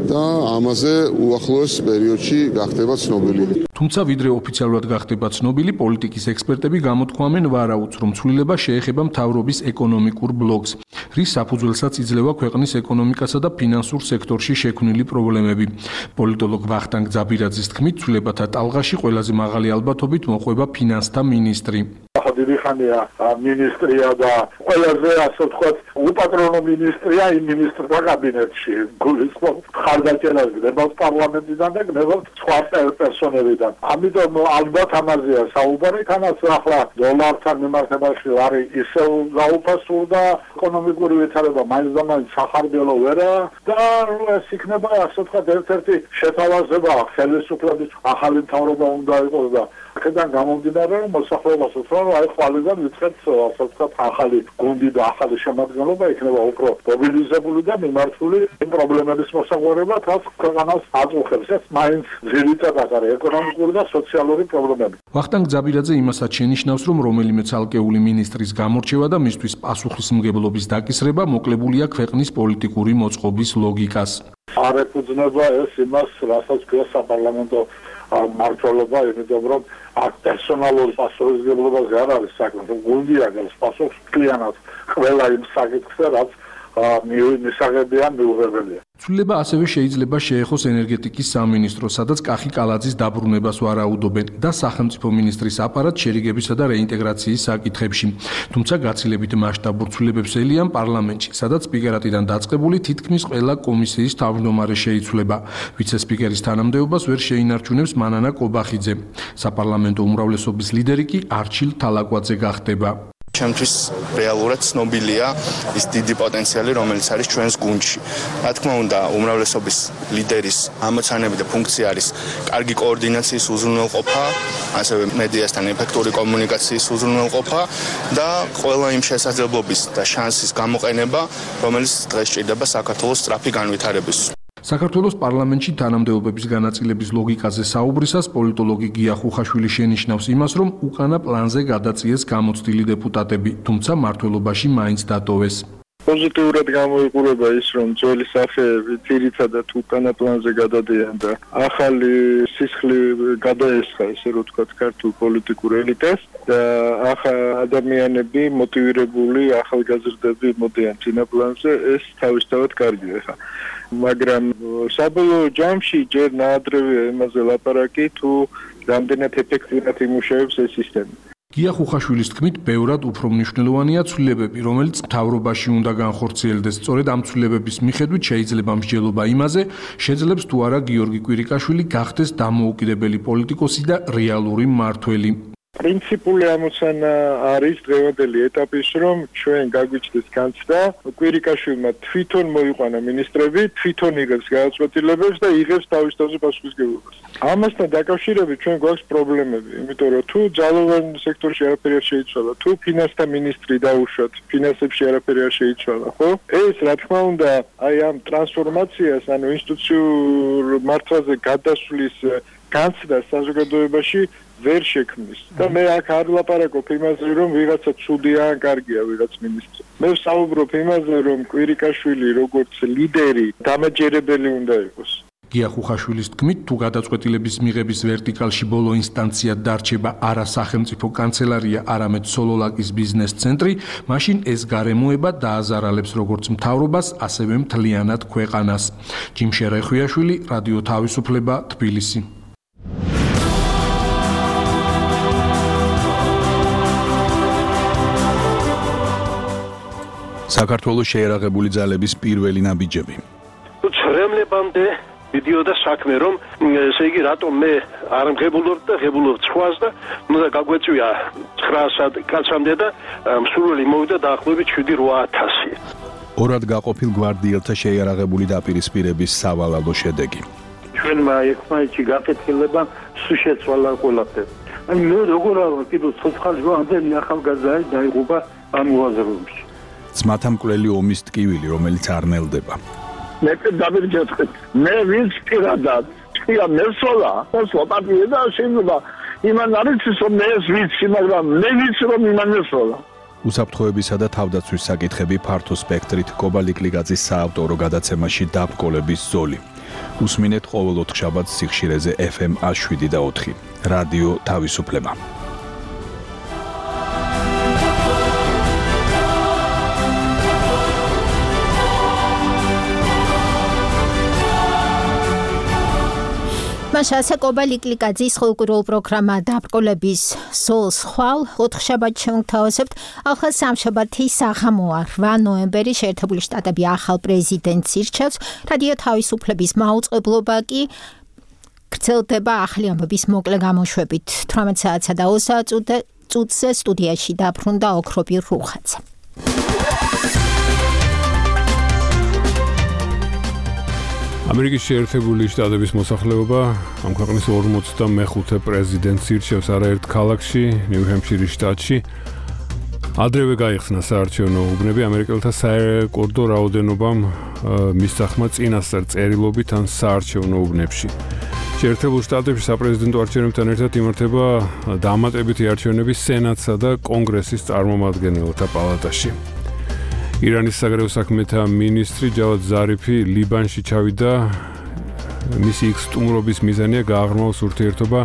და ამაზე უახლოეს პერიოდში გახდება ცნობილი. თუმცა ვიდრე ოფიციალურად გახდება ცნობილი, პოლიტიკის ექსპერტები გამოთქვამენ ვარაუდს, რომ ცვლილება შეეხება მთავრობის ეკონომიკურ ბლოკს. რის საფუძველსაც იძლევა ქვეყნის ეკონომიკასა და ფინანსურ სექტორში შექმნილი პრობლემები. პოლიტოლოგ ვახტანგ ძაბირაძის თქმით, ცვლილებათა ტალღაში ყველაზე მაღალი ალბათობით მოყვება ფინანსთა მინისტრი. დიდი ხანია მინისტრია და ყველაზე ასე ვთქვათ უპატრონო მინისტრია იმ მინისტრთა კაბინეტში. გულისხმობ ხარდაჭერას გნებავთ პარლამენტიდან და გნებავთ სხვა პერსონებიდან. ამიტომ ალბათ ამაზეა საუბარი, თანაც ახლა დოლართან მიმართებაში არის ისევ გაუფასურდა ეკონომიკური ვითარება მაინც და მაინც სახარბიელო ვერა და ეს იქნება ასე ვთქვათ ერთ-ერთი შეთავაზება ხელისუფლების ახალი მთავრობა უნდა იყოს და აქედან გამომდინარე რომ მოსახლეობას უთხრა აი ხვალიდან ვიწყებთ ასე ვთქვათ ახალი გუნდი და ახალი შემადგენლობა იქნება უფრო მობილიზებული და მიმართული იმ პრობლემების მოსაგვარებლად რაც ქვეყანას აწუხებს ეს მაინც ძირითადად არის ეკონომიკური და სოციალური პრობლემები. ვახტანგ ძაბირაძე იმასაც შენიშნავს რომ რომელიმე ცალკეული მინისტრის გამორჩევა და მისთვის პასუხისმგებლობის დაკისრება მოკლებულია ქვეყნის პოლიტიკური მოწყობის ლოგიკას. არ ეფუძნება ეს იმას რასაც ქვია საპარლამენტო მმართველობა, იმიტომ რომ აქ პერსონალური პასუხისმგებლობაზე არ არის საქმე, გუნდი აგებს პასუხს კლიანად ყველა იმ საკითხზე, რაც მისაღებია მიუღებელია. ცვლილება ასევე შეიძლება შეეხოს ენერგეტიკის სამინისტროს, სადაც კახი კალაძის დაბრუნებას ვარაუდობენ და სახელმწიფო მინისტრის აპარატ შერიგებისა და რეინტეგრაციის საკითხებში. თუმცა გაცილებით მასშტაბურ ცვლილებებს ელიან პარლამენტში, სადაც სპიკერატიდან დაწყებული თითქმის ყველა კომისიის თავმჯდომარე შეიცვლება. ვიცე-სპიკერის თანამდებობას ვერ შეინარჩუნებს მანანა კობახიძე. საპარლამენტო უმრავლესობის ლიდერი კი არჩილ თალაკვაძე გახდება. ჩემთვის რეალურად ცნობილია ის დიდი პოტენციალი, რომელიც არის ჩვენს გუნდში. რა თქმა უნდა, უმრავლესობის ლიდერის ამოცანები და ფუნქცია არის კარგი კოორდინაციის უზრუნველყოფა, ასევე მედიასთან ეფექტური კომუნიკაციის უზრუნველყოფა და ყველა იმ შესაძლებლობის და შანსის გამოყენება, რომელიც დღეს ჭირდება საქართველოს სწრაფი განვითარების. საქართველოს პარლამენტში თანამდებობების განაწილების ლოგიკაზე საუბრისას პოლიტოლოგი გია ხუხაშვილი შენიშნავს იმას, რომ უკანა პლანზე გადაწიეს გამოცდილი დეპუტატები, თუმცა მმართველობაში მაინც დატოვეს. პოზიტიურად გამოიყურება ის, რომ ძველი სახეები ძირითადად უკანა პლანზე გადადიან და ახალი სისხლი გადაესხა, ესე რომ ვთქვათ, ქართულ პოლიტიკურ ელიტას და ადამიანები მოტივირებული ახალგაზრდები მოდიან წინა პლანზე, ეს თავისთავად კარგია ხა. მაგრამ საბოლოო ჯამში ჯერ ნაადრევია იმაზე ლაპარაკი, თუ რამდენად ეფექტურად იმუშავებს ეს სისტემა. გია ხუხაშვილის თქმით, ბევრად უფრო მნიშვნელოვანია ცვლილებები, რომელიც მთავრობაში უნდა განხორციელდეს. სწორედ ამ ცვლილებების მიხედვით შეიძლება მსჯელობა იმაზე, შეძლებს თუ არა გიორგი კვირიკაშვილი გახდეს დამოუკიდებელი პოლიტიკოსი და რეალური მმართველი. პრინციპული ამოცანა არის დღევანდელი ეტაპის, რომ ჩვენ გაგვიჩნდეს განცდა, კვირიკაშვილმა თვითონ მოიყვანა მინისტრები, თვითონ იღებს გადაწყვეტილებებს და იღებს თავის თავზე პასუხისმგებლობას. ამასთან დაკავშირებით ჩვენ გვაქვს პრობლემები, იმიტომ რომ თუ ძალოვან სექტორში არაფერი არ შეიცვალა, თუ ფინანსთა მინისტრი დაუშვათ, ფინანსებში არაფერი არ შეიცვალა, ხო? ეს რა თქმა უნდა, აი ამ ტრანსფორმაციას, ანუ ინსტიტუციურ მართვაზე გადასვლის განცდა საზოგადოებაში ვერ შექმნის. და მე აქ არ ვლაპარაკობ იმაზე, რომ ვიღაცა ცუდია ან კარგია ვიღაც მინისტრი. მე ვსაუბრობ იმაზე, რომ კვირიკაშვილი როგორც ლიდერი დამაჯერებელი უნდა იყოს. გია ხუხაშვილის თქმით, თუ გადაწყვეტილების მიღების ვერტიკალში ბოლო ინსტანციად დარჩება არა სახელმწიფო კანცელარია, არამედ სოლოლაკის ბიზნეს ცენტრი, მაშინ ეს გარემოება დააზარალებს როგორც მთავრობას, ასევე მთლიანად ქვეყანას. ჯიმშე რეხვიაშვილი, რადიო თავისუფლება, თბილისი. საქართველოს შეერაღებული ძალების პირველი ნაბიჯები. ცრემლებამდე მიდიოდა საქმე, რომ ესე იგი რატომ მე არ მღებულობ და ღებულობ სხვას და უნდა გაგვეწვია 900 კაცამდე და მსურველი მოვიდა დაახლოებით 7-8000. ორად გაყოფილ გვარდიელთა შეერაღებული დაპირისპირების სავალალო შედეგი. ჩვენმა ერთმანეთში გაკეთილება სულ შეცვალა ყველაფერი. აი მე როგორ არა კიდევ ცოცხალი ამდენი ახალგაზრდა დაიღუპა ამ მოაზრეებში. ძმათა მკვლელი ომის ტკივილი, რომელიც არ ნელდება. მე დავირჯეთხეთ. მე ვინც პირადად თქვია მესოლა, მოსვა პარტია და შეიძლება იმან არის რომ მე ეს ვიცი, მაგრამ მე ვიცი რომ იმან მესოლა. უსაფრთხოებისა და თავდაცვის საკითხები ფართო სპექტრით კობალიკლიგაძის საავტორო გადაცემაში დაბრკოლების ზოლი. უსმინეთ ყოველ 4 შაბათს სიხშირეზე FM 107.4. რადიო თავისუფლება. თქმაშასე კობა ლიკლიკაძის ხალხურ პროგრამა დაბრკოლების სოლს ხვალ 4 შაბათს შევთავაზებთ ახალ სამშაბათი საღამოა 8 ნოემბერი შეერთებული შტატები ახალ პრეზიდენტს ირჩევს რადიო თავისუფლების მაუწყებლობა კი გრძელდება ახალი ამბების მოკლე გამოშვებით 18 საათსა და 30 წუთზე სტუდიაში დაბრუნდა ოქროპი რუხაძე ამერიკის შეერთებული შტატების მოსახლეობა ამ ქვეყნის 45 პრეზიდენტს ირჩევს არაერთ ქალაქში, ნიუ-ჰემფშირის შტატში. ადრევე გაიხსნა საარჩევნო უბნები ამერიკელთა საერკორდო რაოდენობამ მისახმა წინასწარ წერილობით ან საარჩევნო უბნებში. შეერთებულ შტატებში საპრეზიდენტო არჩევნებთან ერთად იმართება დამატებითი არჩევნები სენატსა და კონგრესის წარმომადგენელთა პალატაში. ირანის საგარეო საქმეთა მინისტრი ჯავად ზარიფი ლიბანში ჩავიდა მისი იქ სტუმრობის მიზანია გააღრმაოს ურთიერთობა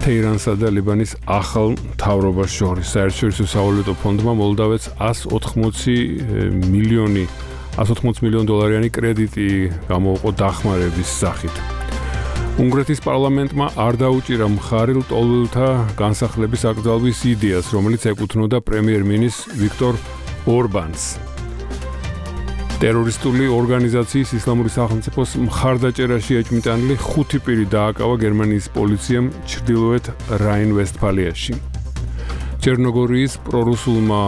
თეირანსა და ლიბანის ახალ მთავრობას შორის. საერთაშორისო სავალუტო ფონდმა მოლდავეთს 180 მილიონ დოლარიანი კრედიტი გამოუყო დახმარების სახით. უნგრეთის პარლამენტმა არ დაუჭირა მხარი ლტოლვილთა განსახლების აკრძალვის იდეას, რომელიც ეკუთვნოდა პრემიერ-მინისტრ ვიქტორ ორბანს. ტერორისტული ორგანიზაციის ისლამური სახელმწიფოს მხარდაჭერაში ეჭვმიტანილი 5 პირი დააკავა გერმანიის პოლიციამ ჩრდილოეთ რაინ-ვესტფალიაში. ჩერნოგორიის პრორუსულმა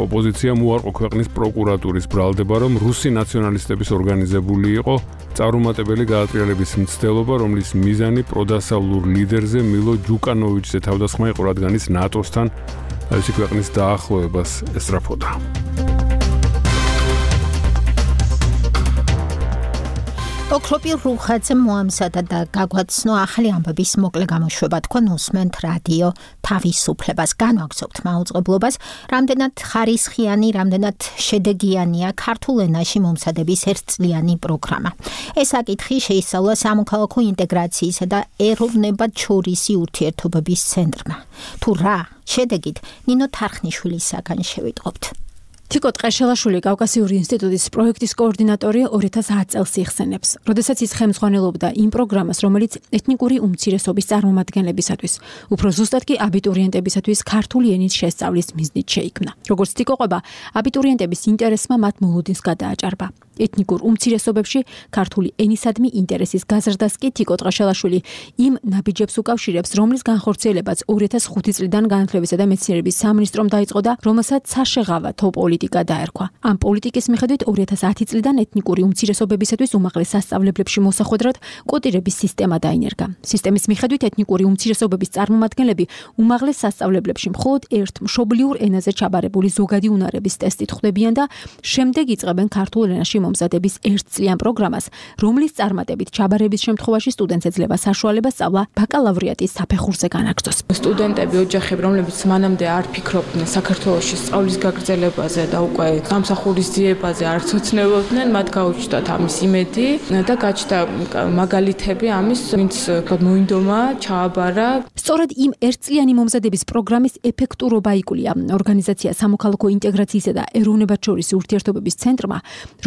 ოპოზიციამ უარყო ქვეყნის პროკურატურის ბრალდება, რომ რუსი ნაციონალისტების ორგანიზებული იყო წარუმატებელი გაატრიალების მცდელობა, რომლის მიზანი პროდასავლურ ლიდერზე მილო ჯუკანოვიჩზე თავდასხმა იყო, რადგან ის ნატოსთან თავისი ქვეყნის დაახლოებას ესწრაფოდა. ოქროპი რუხაძე მოამზადა და გაგვაცნო ახალი ამბების მოკლე გამოშვება თქვენ უსმენთ რადიო თავისუფლებას განვაგრძობთ მაუწყებლობას რამდენად ხარისხიანი რამდენად შედეგიანია ქართულ ენაში მომზადების ერთწლიანი პროგრამა ეს საკითხი შეისწავლა სამოქალაქო ინტეგრაციისა და ეროვნებათშორისი ურთიერთობების ცენტრმა თუ რა შედეგით ნინო თარხნიშვილისაგან შევიტყობთ თიკო ტყეშელაშვილი კავკასიური ინსტიტუტის პროექტის კოორდინატორი 2010 წელს იხსენებს. როდესაც ის ხელმძღვანელობდა იმ პროგრამას, რომელიც ეთნიკური უმცირესობის წარმომადგენლებისათვის, უფრო ზუსტად კი აბიტურიენტებისათვის ქართული ენის შესწავლის მიზნით შეიქმნა. როგორც თიკო ყვება, აბიტურიენტების ინტერესმა მათ მოლოდინს გადააჭარბა. ეთნიკურ უმცირესობებში ქართული ენისადმი ინტერესის გაზრდას კი თიკო ტყეშელაშვილი იმ ნაბიჯებს უკავშირებს, რომლის განხორციელებაც 2005 წლიდან განათლებისა და მეცნიერების სამინისტრომ დაიწყო და რომელსაც საშეღავათო პოლიტიკა დაერქვა. ამ პოლიტიკის მიხედვით 2010 წლიდან ეთნიკური უმცირესობებისათვის უმაღლეს სასწავლებლებში მოსახვედრად კოტირების სისტემა დაინერგა. სისტემის მიხედვით ეთნიკური უმცირესობების წარმომადგენლები უმაღლეს სასწავლებლებში მხოლოდ ერთ მშობლიურ ენაზე ჩაბარებული ზოგადი უნარების ტესტით ხვდებიან და შემდეგ იწყებენ ქართულ ენაში მომზადების ერთწლიან პროგრამას, რომლის წარმატებით ჩაბარების შემთხვევაში სტუდენტს ეძლევა საშუალება სწავლა ბაკალავრიატის საფეხურზე განაგრძოს. სტუდენტები, ოჯახები, რომლებიც მანამდე არ ფიქრობდნენ საქართველოში სწავლის გაგრძელებაზე და უკვე სამსახურის ძიებაზე არ ცოცნებობდნენ, მათ გაუჩნდათ ამის იმედი და გაჩნდა მაგალითები ამის, ვინც მოინდომა, ჩააბარა. სწორედ იმ ერთწლიანი მომზადების პროგრამის ეფექტურობა იკვლია ორგანიზაცია სამოქალაქო ინტეგრაციისა და ეროვნებათშორისი ურთიერთობების ცენტრმა,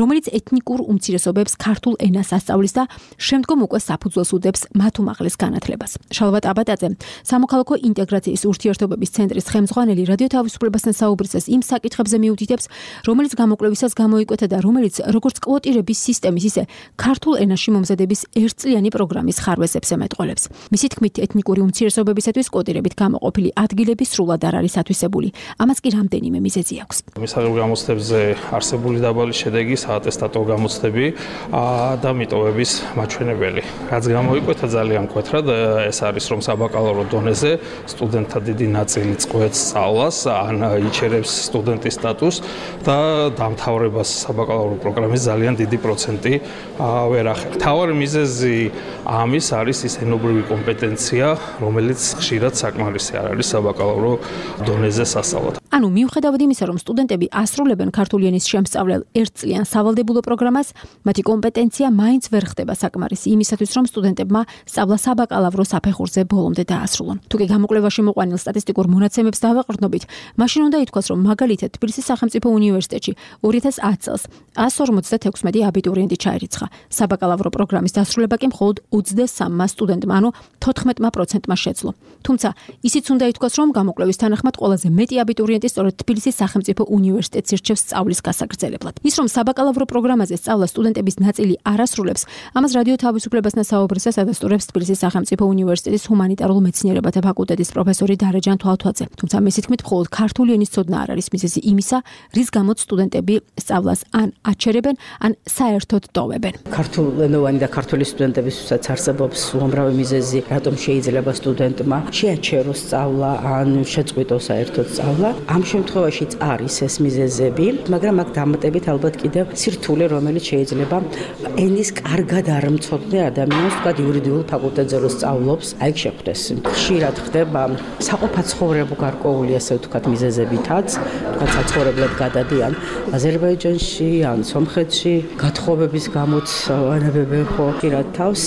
რომელიც ეთნიკურ უმცირესობებს ქართულ ენას ასწავლის და შემდგომ უკვე საფუძველს უდებს მათ უმაღლეს განათლებას. შალვა ტაბატაძე, სამოქალაქო ინტეგრაციის ურთიერთობების ცენტრის ხელმძღვანელი რადიო თავისუფლებასთან საუბრისას იმ საკითხებზე მიუთითებს, რომელიც გამოკვლევისას გამოიკვეთა და რომელიც როგორც კვოტირების სისტემის, ისე ქართულ ენაში მომზადების ერთწლიანი პროგრამის ხარვეზებს ემეტყველებს. მისი თქმით, ეთნიკური უმცირესობებისათვის კვოტირებით გამოყოფილი ადგილები სრულად არ არის ათვისებული. ამას კი რამდენიმე მიზეზი აქვს. მისაღებ გამოცდებზე არსებული დაბალი შედეგი საატესტატო გამოცდები და მიტოვების მაჩვენებელი. რაც გამოიკვეთა ძალიან მკვეთრად, ეს არის რომ საბაკალავრო დონეზე სტუდენტთა დიდი ნაწილი წყვეტს სწავლას, ან იჩერებს სტუდენტის სტატუსს და დამთავრებას საბაკალავრო პროგრამის ძალიან დიდი პროცენტი ვერ ახერხებს. მთავარი მიზეზი ამის არის ის ენობრივი კომპეტენცია, რომელიც ხშირად საკმარისი არ არის საბაკალავრო დონეზე სასწავლად. ანუ მიუხედავად იმისა, რომ სტუდენტები ასრულებენ ქართული ენის შემსწავლელ ერთწლიან სავალდებულო პროგრამას, მათი კომპეტენცია მაინც ვერ ხდება საკმარისი იმისათვის, რომ სტუდენტებმა სწავლა საბაკალავრო საფეხურზე ბოლომდე დაასრულონ. თუ კი გამოკვლევაში მოყვანილ სტატისტიკურ მონაცემებს დავაყრდნობით, მაშინ უნდა ითქვას, რომ მაგალითად თბილისის სახელმწიფო უნივერსიტეტში 2010 წელს 156 აბიტურიენტი ჩაირიცხა. საბაკალავრო პროგრამის დასრულება კი მხოლოდ 23 სტუდენტმა, ანუ 14%-მა შეძლო. თუმცა ისიც უნდა ითქვას, რომ გამოკვლევის თანახმად ყველაზე მეტი აბიტურიენტი სწორედ თბილისის სახელმწიფო უნივერსიტეტს ირჩევს სწავლის გასაგრძელებლად. ის, რომ საბაკალავრო პროგრამაზე სწავლა სტუდენტების ნაწილი არ ასრულებს, ამას რადიო თავისუფლებასთან საუბრისას ადასტურებს თბილისის სახელმწიფო უნივერსიტეტის ჰუმანიტარულ მეცნიერებათა ფაკულტეტის პროფესორი დარეჯან თვალთვაძე. თუმცა მისი თქმით, მხოლოდ ქართული ენის ცოდნა არ არის მიზეზი იმისა, რის გამოც სტუდენტები სწავლას ან აჩერებენ, ან საერთოდ ტოვებენ. ქართულენოვანი და ქართული სტუდენტებისთვისაც არსებობს უამრავი მიზეზი, რატომ შეიძლება სტუდენტმა შეაჩეროს სწავლა ან შეწყვიტოს საერთოდ სწავლა. ამ შემთხვევაშიც არის ეს მიზეზები, მაგრამ აქ დამატებით ალბათ კიდევ სირთულე, რომელიც შეიძლება ენის კარგად არ მცოდნე ადამიანს, თქვათ იურიდიულ ფაკულტეტზე რო სწავლობს, აი შეხვდეს. ხშირად ხდება საყოფაცხოვრებო გარკვეული ასე ვთქვათ მიზეზებითაც, თქვათ საცხოვრებლად გადადიან აზერბაიჯანში ან სომხეთში, გათხოვების გამოც ანებებენ ხო ხშირად თავს.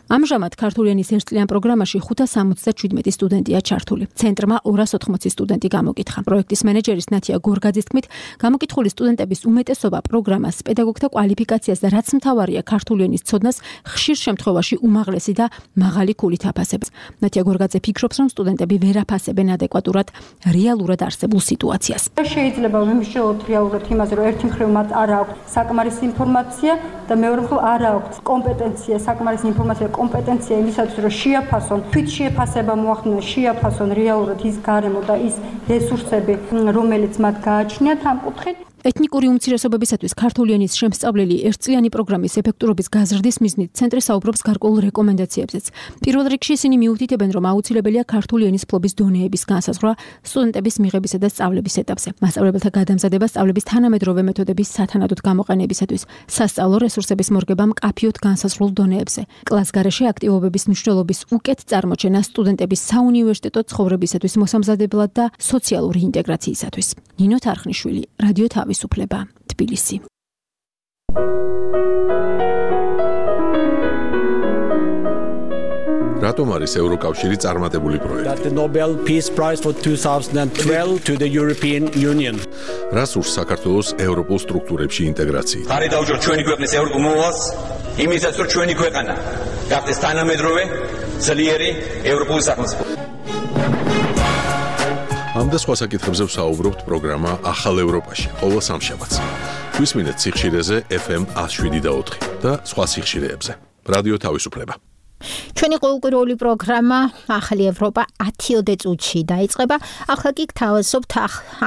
ამჟამად ქართული ენის ერთწლიან პროგრამაში 577 სტუდენტია ჩართული. ცენტრმა 280 სტუდენტი გამოკითხა. პროექტის მენეჯერის ნათია გორგაძის თქმით, გამოკითხული სტუდენტების უმეტესობა პროგრამას, პედაგოგთა კვალიფიკაციას და რაც მთავარია ქართული ენის ცოდნას ხშირ შემთხვევაში უმაღლესი და მაღალი ქულით აფასებს. ნათია გორგაძე ფიქრობს, რომ სტუდენტები ვერ აფასებენ ადეკვატურად რეალურად არსებულ სიტუაციას. შეიძლება ვიმსჯელოთ რეალურად იმაზე, რომ ერთი მხრივ მათ არ აქვს საკმარისი ინფორმაცია და მეორე მხრივ არ აქვს კომპეტენცია, საკმარისი ინფორმაცია კომპეტენცია იმისათვის, რომ შეაფასონ, თვით შეაფასება მოახდინონ, შეაფასონ რეალურად ის გარემო და ის რესურსები, რომელიც მათ გააჩნიათ ამ კუთხით. ეთნიკური უმცირესობებისათვის ქართული ენის შემსწავლელი ერთწლიანი პროგრამის ეფექტურობის გაზრდის მიზნით ცენტრი საუბრობს გარკვეულ რეკომენდაციებზეც. პირველ რიგში ისინი მიუთითებენ, რომ აუცილებელია ქართული ენის ფლობის დონეების განსაზღვრა სტუდენტების მიღებისა და სწავლების ეტაპზე. მასწავლებელთა გადამზადება სწავლების თანამედროვე მეთოდების სათანადოდ გამოყენებისათვის, სასწავლო რესურსების მორგება მკაფიოდ განსაზღვრულ დონეებზე. კლასგარეშე აქტივობების მნიშვნელობის უკეთ წარმოჩენა სტუდენტების საუნივერსიტეტო ცხოვრებისათვის მოსამზადებლად და სოციალური ინტეგრაციისათვის. ნინო თარხნიშვილი, რადიო თავისუფლება, თბილისი. რატომ არის ევროკავშირი წარმატებული პროექტი? The Nobel Peace Prize for 2012 to the European Union. რას ურს საქართველოს ევროპულ სტრუქტურებში ინტეგრაციით? ხარი დაუჭიროთ ჩვენი ქვეყნის ევროპულ მოვალს, იმისაც რომ ჩვენი ქვეყანა გახდეს თანამედროვე, ძლიერი ევროპული სახელმწიფო. ამ და სხვა საკითხებზე ვსაუბრობთ პროგრამა ახალ ევროპაში, ყოველ სამშაბათს. გვისმინეთ სიხშირეზე FM 107.4 და სხვა სიხშირეებზე. რადიო თავისუფლება. ჩვენი ყოველკვირეული პროგრამა ახალი ევროპა 10 წუთში დაიწყება. ახლა კი გთავაზობთ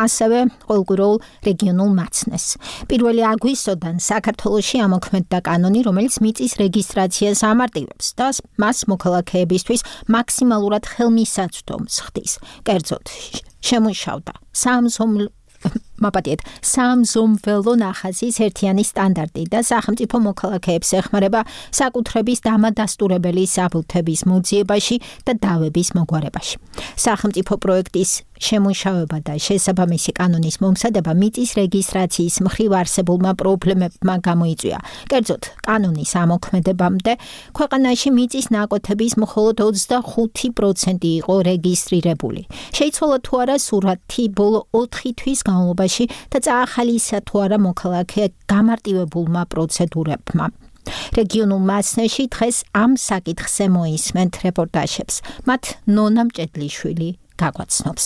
ასევე ყოველკვირეულ რეგიონულ მაცნეს. 1 აგვისტოდან საქართველოში ამოქმედდა კანონი, რომელიც მიწის რეგისტრაციას ამარტივებს და მას მოქალაქეებისთვის მაქსიმალურად ხელმისაწვდომს ხდის. კერძოდ, შემუშავდა სამზომველო ნახაზის ერთიანი სტანდარტი და სახელმწიფო მოქალაქეებს ეხმარება საკუთრების დამადასტურებელი საბუთების მოძიებაში და დავების მოგვარებაში. სახელმწიფო პროექტის შემუშავება და შესაბამისი კანონის მომზადება მიწის რეგისტრაციის მხრივ არსებულმა პრობლემებმა გამოიწვია. კერძოდ, კანონის ამოქმედებამდე ქვეყანაში მიწის ნაკვეთების მხოლოდ 25% იყო რეგისტრირებული. შეიცვალა თუ არა სურათი ბოლო 4 თვის განმავლობაში და წაახალისა თუ არა მოქალაქე გამარტივებულმა პროცედურებმა. რეგიონულ მასნეში დღეს ამ საკითხზე მოისმენთ რეპორტაჟებს. მათ ნონა მჭედლიშვილი გაგვაცნობს.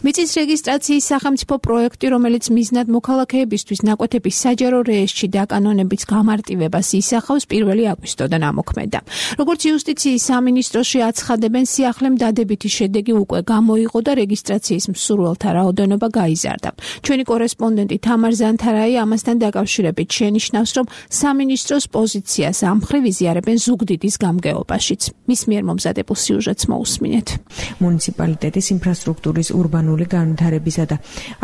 მიწის რეგისტრაციის სახელმწიფო პროექტი, რომელიც მიზნად მოქალაქეებისთვის ნაკვეთების საჯარო რეესტრში დაკანონების გამარტივებას ისახავს, 1 აგვისტოდან ამოქმედა. როგორც იუსტიციის სამინისტროში აცხადებენ, სიახლემ დადებითი შედეგი უკვე გამოიღო და რეგისტრაციის მსურველთა რაოდენობა გაიზარდა. ჩვენი კორესპონდენტი თამარ ზანთარაი ამასთან დაკავშირებით შენიშნავს, რომ სამინისტროს პოზიციას ამ მხრივ იზიარებენ ზუგდიდის გამგეობაშიც. მის მიერ მომზადებულ სიუჟეტს მოусმინეთ. მუნიციპალიტეტის ინფრასტრუქტურის ურბანული განვითარებისა და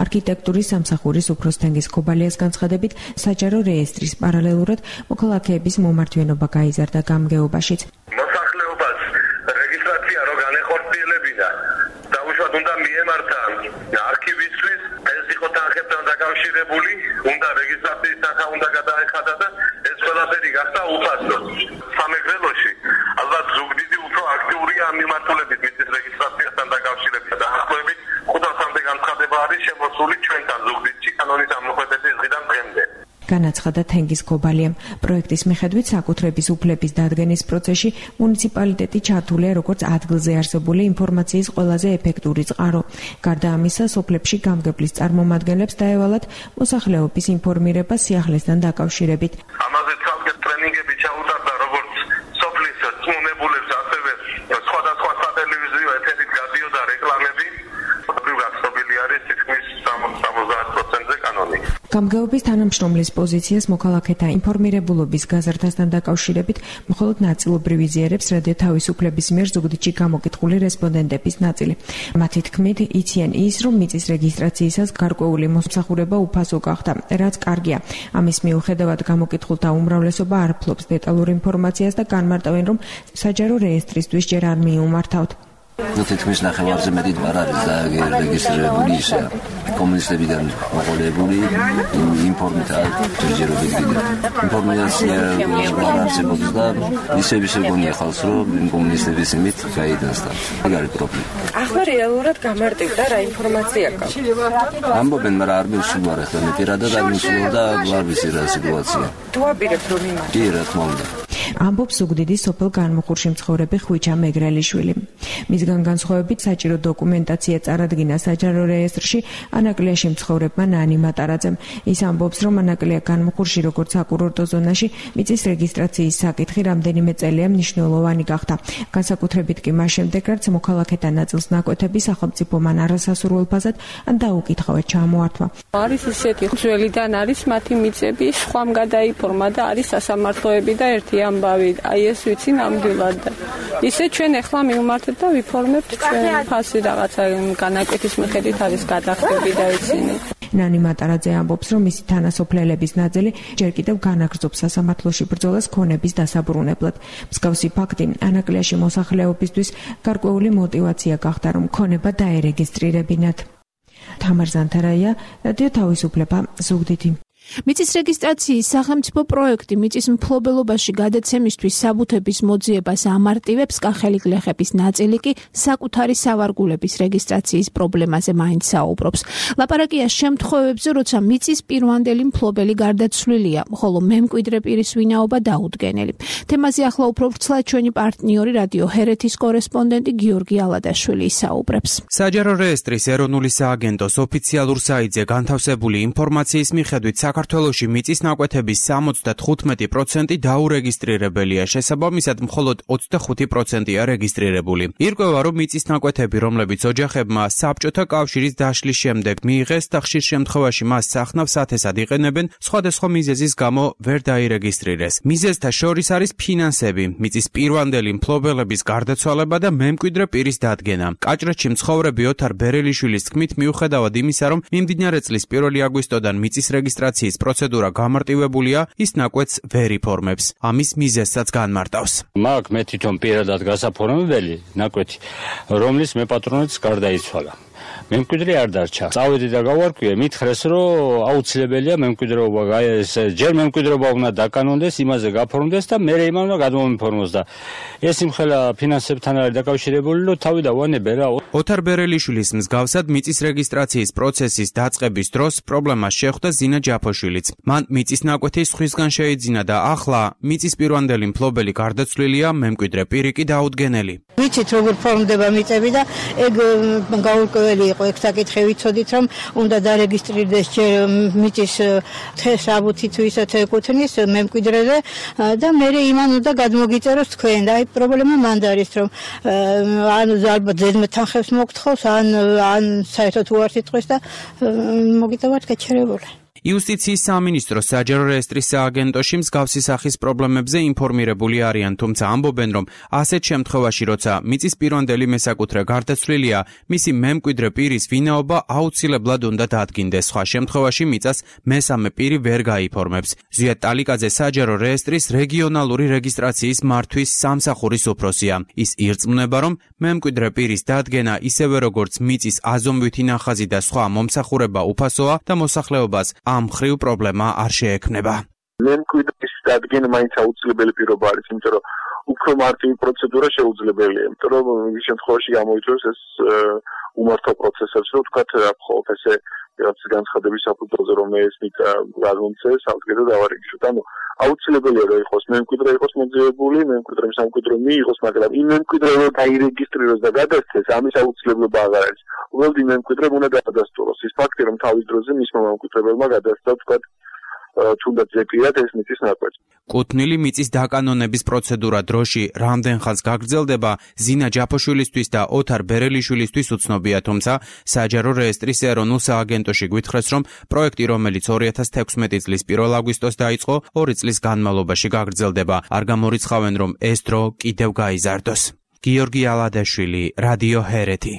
არქიტექტურის სამსახურის უფროსთენგის ქობალიას განცხადებით, საჯარო რეესტრის პარალელურად მოქალაქეების მომართვენობა გაიზარდა გამგეობაშიც. მოსახლეობას რეგისტრაცია რო განეხორციელებინა, დაუშვათ უნდა მიემართა არქივის მიღებული, უნდა რეგისტრაციის თანხა უნდა გადაეხადა და ეს ყველაფერი გახდა უფასო. სამეგრელოში ალბათ ზუგდიდი უფრო აქტიურია ამ მიმართულებით მიწის რეგისტრაციასთან დაკავშირებით. დაახლოებით 500-მდე განცხადება არის შემოსული ჩვენთან ზუგდიდში კანონის ამოქმედების დღიდან დღემდე. განაცხადა თენგიზ გობალიამ. პროექტის მიხედვით საკუთრების უფლების დადგენის პროცესში მუნიციპალიტეტი ჩართულია როგორც ადგილზე არსებული ინფორმაციის ყველაზე ეფექტური წყარო. გარდა ამისა, სოფლებში გამგებლის წარმომადგენლებს დაევალათ მოსახლეობის ინფორმირება სიახლესთან დაკავშირებით. ამაზე ცალკე ტრენინგები ჩაუტარდა როგორც სოფლის წმუნებულებს, ასევე სხვადასხვა სატელევიზიო ეთერით გადიოდა რეკლამები. გასწობილი არის თითქმის 70%-ზე კანონი. გამგეობის თანამშრომლის პოზიციას მოქალაქეთა ინფორმირებულობის გაზრდასთან დაკავშირებით მხოლოდ ნაწილობრივ იზიარებს რადიო თავისუფლების მიერ ზუგდიდში გამოკითხული რესპონდენტების ნაწილი. მათი თქმით, იციან ის, რომ მიწის რეგისტრაციისას გარკვეული მოსამსახურება უფასო გახდა, რაც კარგია. ამის მიუხედავად გამოკითხულთა უმრავლესობა არ ფლობს დეტალურ ინფორმაციას და განმარტავენ, რომ საჯარო რეესტრისთვის ჯერ არ მიუმართავთ. თითქმის ნახევარზე მეტი არ არის დარეგისტრირებული ისე კომუნისტებიდან მოყოლებული ინფორმით ჯერჯერობით კიდე ინფორმაცია არ არსებობს და ისე გონია ხალხს რომ კომუნისტების იმით გაიდანსდა. ეგ არის პრობლემა. ახლა რეალურად გამარტივდა რა ინფორმაცია გაქვს. ამბობენ, მაგრამ არ მივსულვარ ახლა მე პირადად არ მივსულვარ და არ ვიცი რა სიტუაცია. თუ აპირებ რომ იმას. კი, რა თქმა უნდა. ამბობს ზუგდიდის სოფელ განმუხურში მცხოვრები ხვიჩა მეგრელიშვილი. მისგან განსხვავებით საჭირო დოკუმენტაცია წარადგინა საჯარო რეესტრში ანაკლიაში მცხოვრებმა ნანი მატარაძემ. ის ამბობს, რომ ანაკლია განმუხურში როგორც საკურორტო ზონაში მიწის რეგისტრაციის საკითხი რამდენიმე წელია მნიშვნელოვანი გახდა. განსაკუთრებით კი მას შემდეგ, რაც მოქალაქეთა ნაწილს ნაკვეთები სახელმწიფო მან არასასურველ ფაზად ან დაუკითხავად ჩამოართვა. არის ისეთი ძველიდან არის მათი მიწები, სხვამ გადაიფორმა და არის სასამართლოები და ერთი ამბავი. აი ეს ვიცი ნამდვილად. ისე ჩვენ ახლა მივმართეთ და ვიფორმებთ ჩვენ ფასი რაღაცა განაკვეთის მიხედვით არის გადახდები და იცინი. ნანი მატარაძე ამბობს, რომ მისი თანასოფლელების ნაწილი ჯერ კიდევ განაგრძობს სასამართლოში ბრძოლას ქონების დასაბრუნებლად. მსგავსი ფაქტი ანაკლიაში მოსახლეობისთვის გარკვეული мотиваცია გახდა, რომ ქონება დაერეგისტრირებინათ. თამარ ზანთარაია, რადიო თავისუფლება, ზუგდიდი. მიწის რეგისტრაციის სახელმწიფო პროექტი მიწის მფლობელობაში გადაცემისთვის საბუთების მოძიებას ამარტივებს, კახელი გლეხების ნაწილი კი საკუთარი სავარგულების რეგისტრაციის პრობლემაზე მაინც საუბრობს. ლაპარაკია შემთხვევებზე, როცა მიწის პირვანდელი მფლობელი გარდაცვლილია, ხოლო მემკვიდრე პირის ვინაობა დაუდგენელი. თემაზე ახლა უფრო ვრცლად ჩვენი პარტნიორი რადიო ჰერეთის კორესპონდენტი გიორგი ალადაშვილი ისაუბრებს. საჯარო რეესტრის ეროვნული სააგენტოს ოფიციალურ საიტზე განთავსებული ინფორმაციის მიხედვით საქართველოში მიწის ნაკვეთების 75% დაურეგისტრირებელია, შესაბამისად მხოლოდ 25%-ია რეგისტრირებული. ირკვევა, რომ მიწის ნაკვეთები, რომლებიც ოჯახებმა საბჭოთა კავშირის დაშლის შემდეგ მიიღეს და ხშირ შემთხვევაში მას სახნავ სათესად იყენებენ, სხვადასხვა მიზეზის გამო ვერ დაირეგისტრირეს. მიზეზთა შორის არის ფინანსები, მიწის პირვანდელი მფლობელების გარდაცვალება და მემკვიდრე პირის დადგენა. კაჭრეთში მცხოვრები ოთარ ბერელიშვილის თქმით, მიუხედავად იმისა, რომ მიმდინარე წლის 1 აგვისტოდან მიწის რეგისტრაციის პროცედურა გამარტივებულია, ის ნაკვეთს ვერ იფორმებს. ამის მიზეზსაც განმარტავს. მაგ მე თვითონ პირადად გასაფორმებელი ნაკვეთი, რომლის მე პატრონიც გარდაიცვალა. მემკვიდრე არ დარჩა. წავედი და გავარკვიე, მითხრეს, რომ აუცილებელია მემკვიდრეობა, ჯერ მემკვიდრეობა უნდა დაკანონდეს, იმაზე გაფორმდეს და მე იმან უნდა გადმომიფორმოს და ეს იმხელა ფინანსებთან არის დაკავშირებული, რომ თავი დავანებე რა. ოთარ ბერელიშვილის მსგავსად მიწის რეგისტრაციის პროცესის დაწყების დროს პრობლემას შეხვდა ზინა ჯაფოშვილიც. მან მიწის ნაკვეთი სხვისგან შეიძინა და ახლა მიწის პირვანდელი მფლობელი გარდაცვლილია, მემკვიდრე პირი კი დაუდგენელი. ვიცით როგორ ფორმდება მიწები და ეგ გაურკვეველი იყო ეგ საკითხი ვიცოდით რომ უნდა დარეგისტრირდეს მიწის საბუთი თუ ისე ეკუთვნის მემკვიდრეზე და მე იმან უნდა გადმოგიწეროს თქვენ და აი პრობლემა მანდ არის რომ ან ალბათ ზედმეტ თანხებს მოგთხოვს ან საერთოდ უარს იტყვის და მოგიტევათ გაჩერებული. იუსტიციის სამინისტრო საჯარო რეესტრის სააგენტოში მსგავსი სახის პრობლემებზე ინფორმირებული არიან, თუმცა ამბობენ, რომ ასეთ შემთხვევაში, როცა მიწის პირვანდელი მესაკუთრე გარდაცვლილია, მისი მემკვიდრე პირის ვინაობა აუცილებლად უნდა დადგინდეს. სხვა შემთხვევაში მიწას მესამე პირი ვერ გაიფორმებს. ზვიად ტალიკაძე საჯარო რეესტრის რეგიონალური რეგისტრაციის მართვის სამსახურის უფროსია. ის ირწმუნება, რომ მემკვიდრე პირის დადგენა ისევე როგორც მიწის აზომვითი ნახაზი და სხვა მომსახურება უფასოა და მოსახლეობას ამ მხრივ პრობლემა არ შეექმნება. მემკვიდრის დადგენა მაინც აუცილებელი პირობა არის, იმიტომ რომ უფრო მარტივი პროცედურა შეუძლებელია, იმიტომ რომ ის შემთხვევაში გამოიწვევს ეს უმართო პროცესებს, რომ თქვათ ხოლმე ესე რაც განცხადების საფუძველზე რომ ეს მიწა გადმომცეს, სამკვიდრო დავარეგისტროთ. ანუ აუცილებელია რომ იყოს მემკვიდრე იყოს მოძიებული, მემკვიდრე სამკვიდრო მიიღოს, მაგრამ იმ მემკვიდრე რომ დაირეგისტრიროს და გადასცეს, ამის აუცილებლობა აღარ არის. უბრალოდ იმ მემკვიდრემ უნდა გადასტუროს ის ფაქტი, რომ თავის დროზე მისმა მემკვიდრებელმა გადასცა თქვათ თუნდაც ზეპირად ეს მიწის ნაკვეთი. კუთვნილი მიწის დაკანონების პროცედურა დროში რამდენ ხანს გაგრძელდება, ზინა ჯაფოშვილისთვის და ოთარ ბერელიშვილისთვის უცნობია, თუმცა საჯარო რეესტრის ეროვნულ სააგენტოში გვითხრეს, რომ პროექტი, რომელიც 2016 წლის 1 აგვისტოს დაიწყო, 2 წლის განმავლობაში გაგრძელდება. არ გამორიცხავენ, რომ ეს დრო კიდევ გაიზარდოს. გიორგი ალადაშვილი, რადიო ჰერეთი.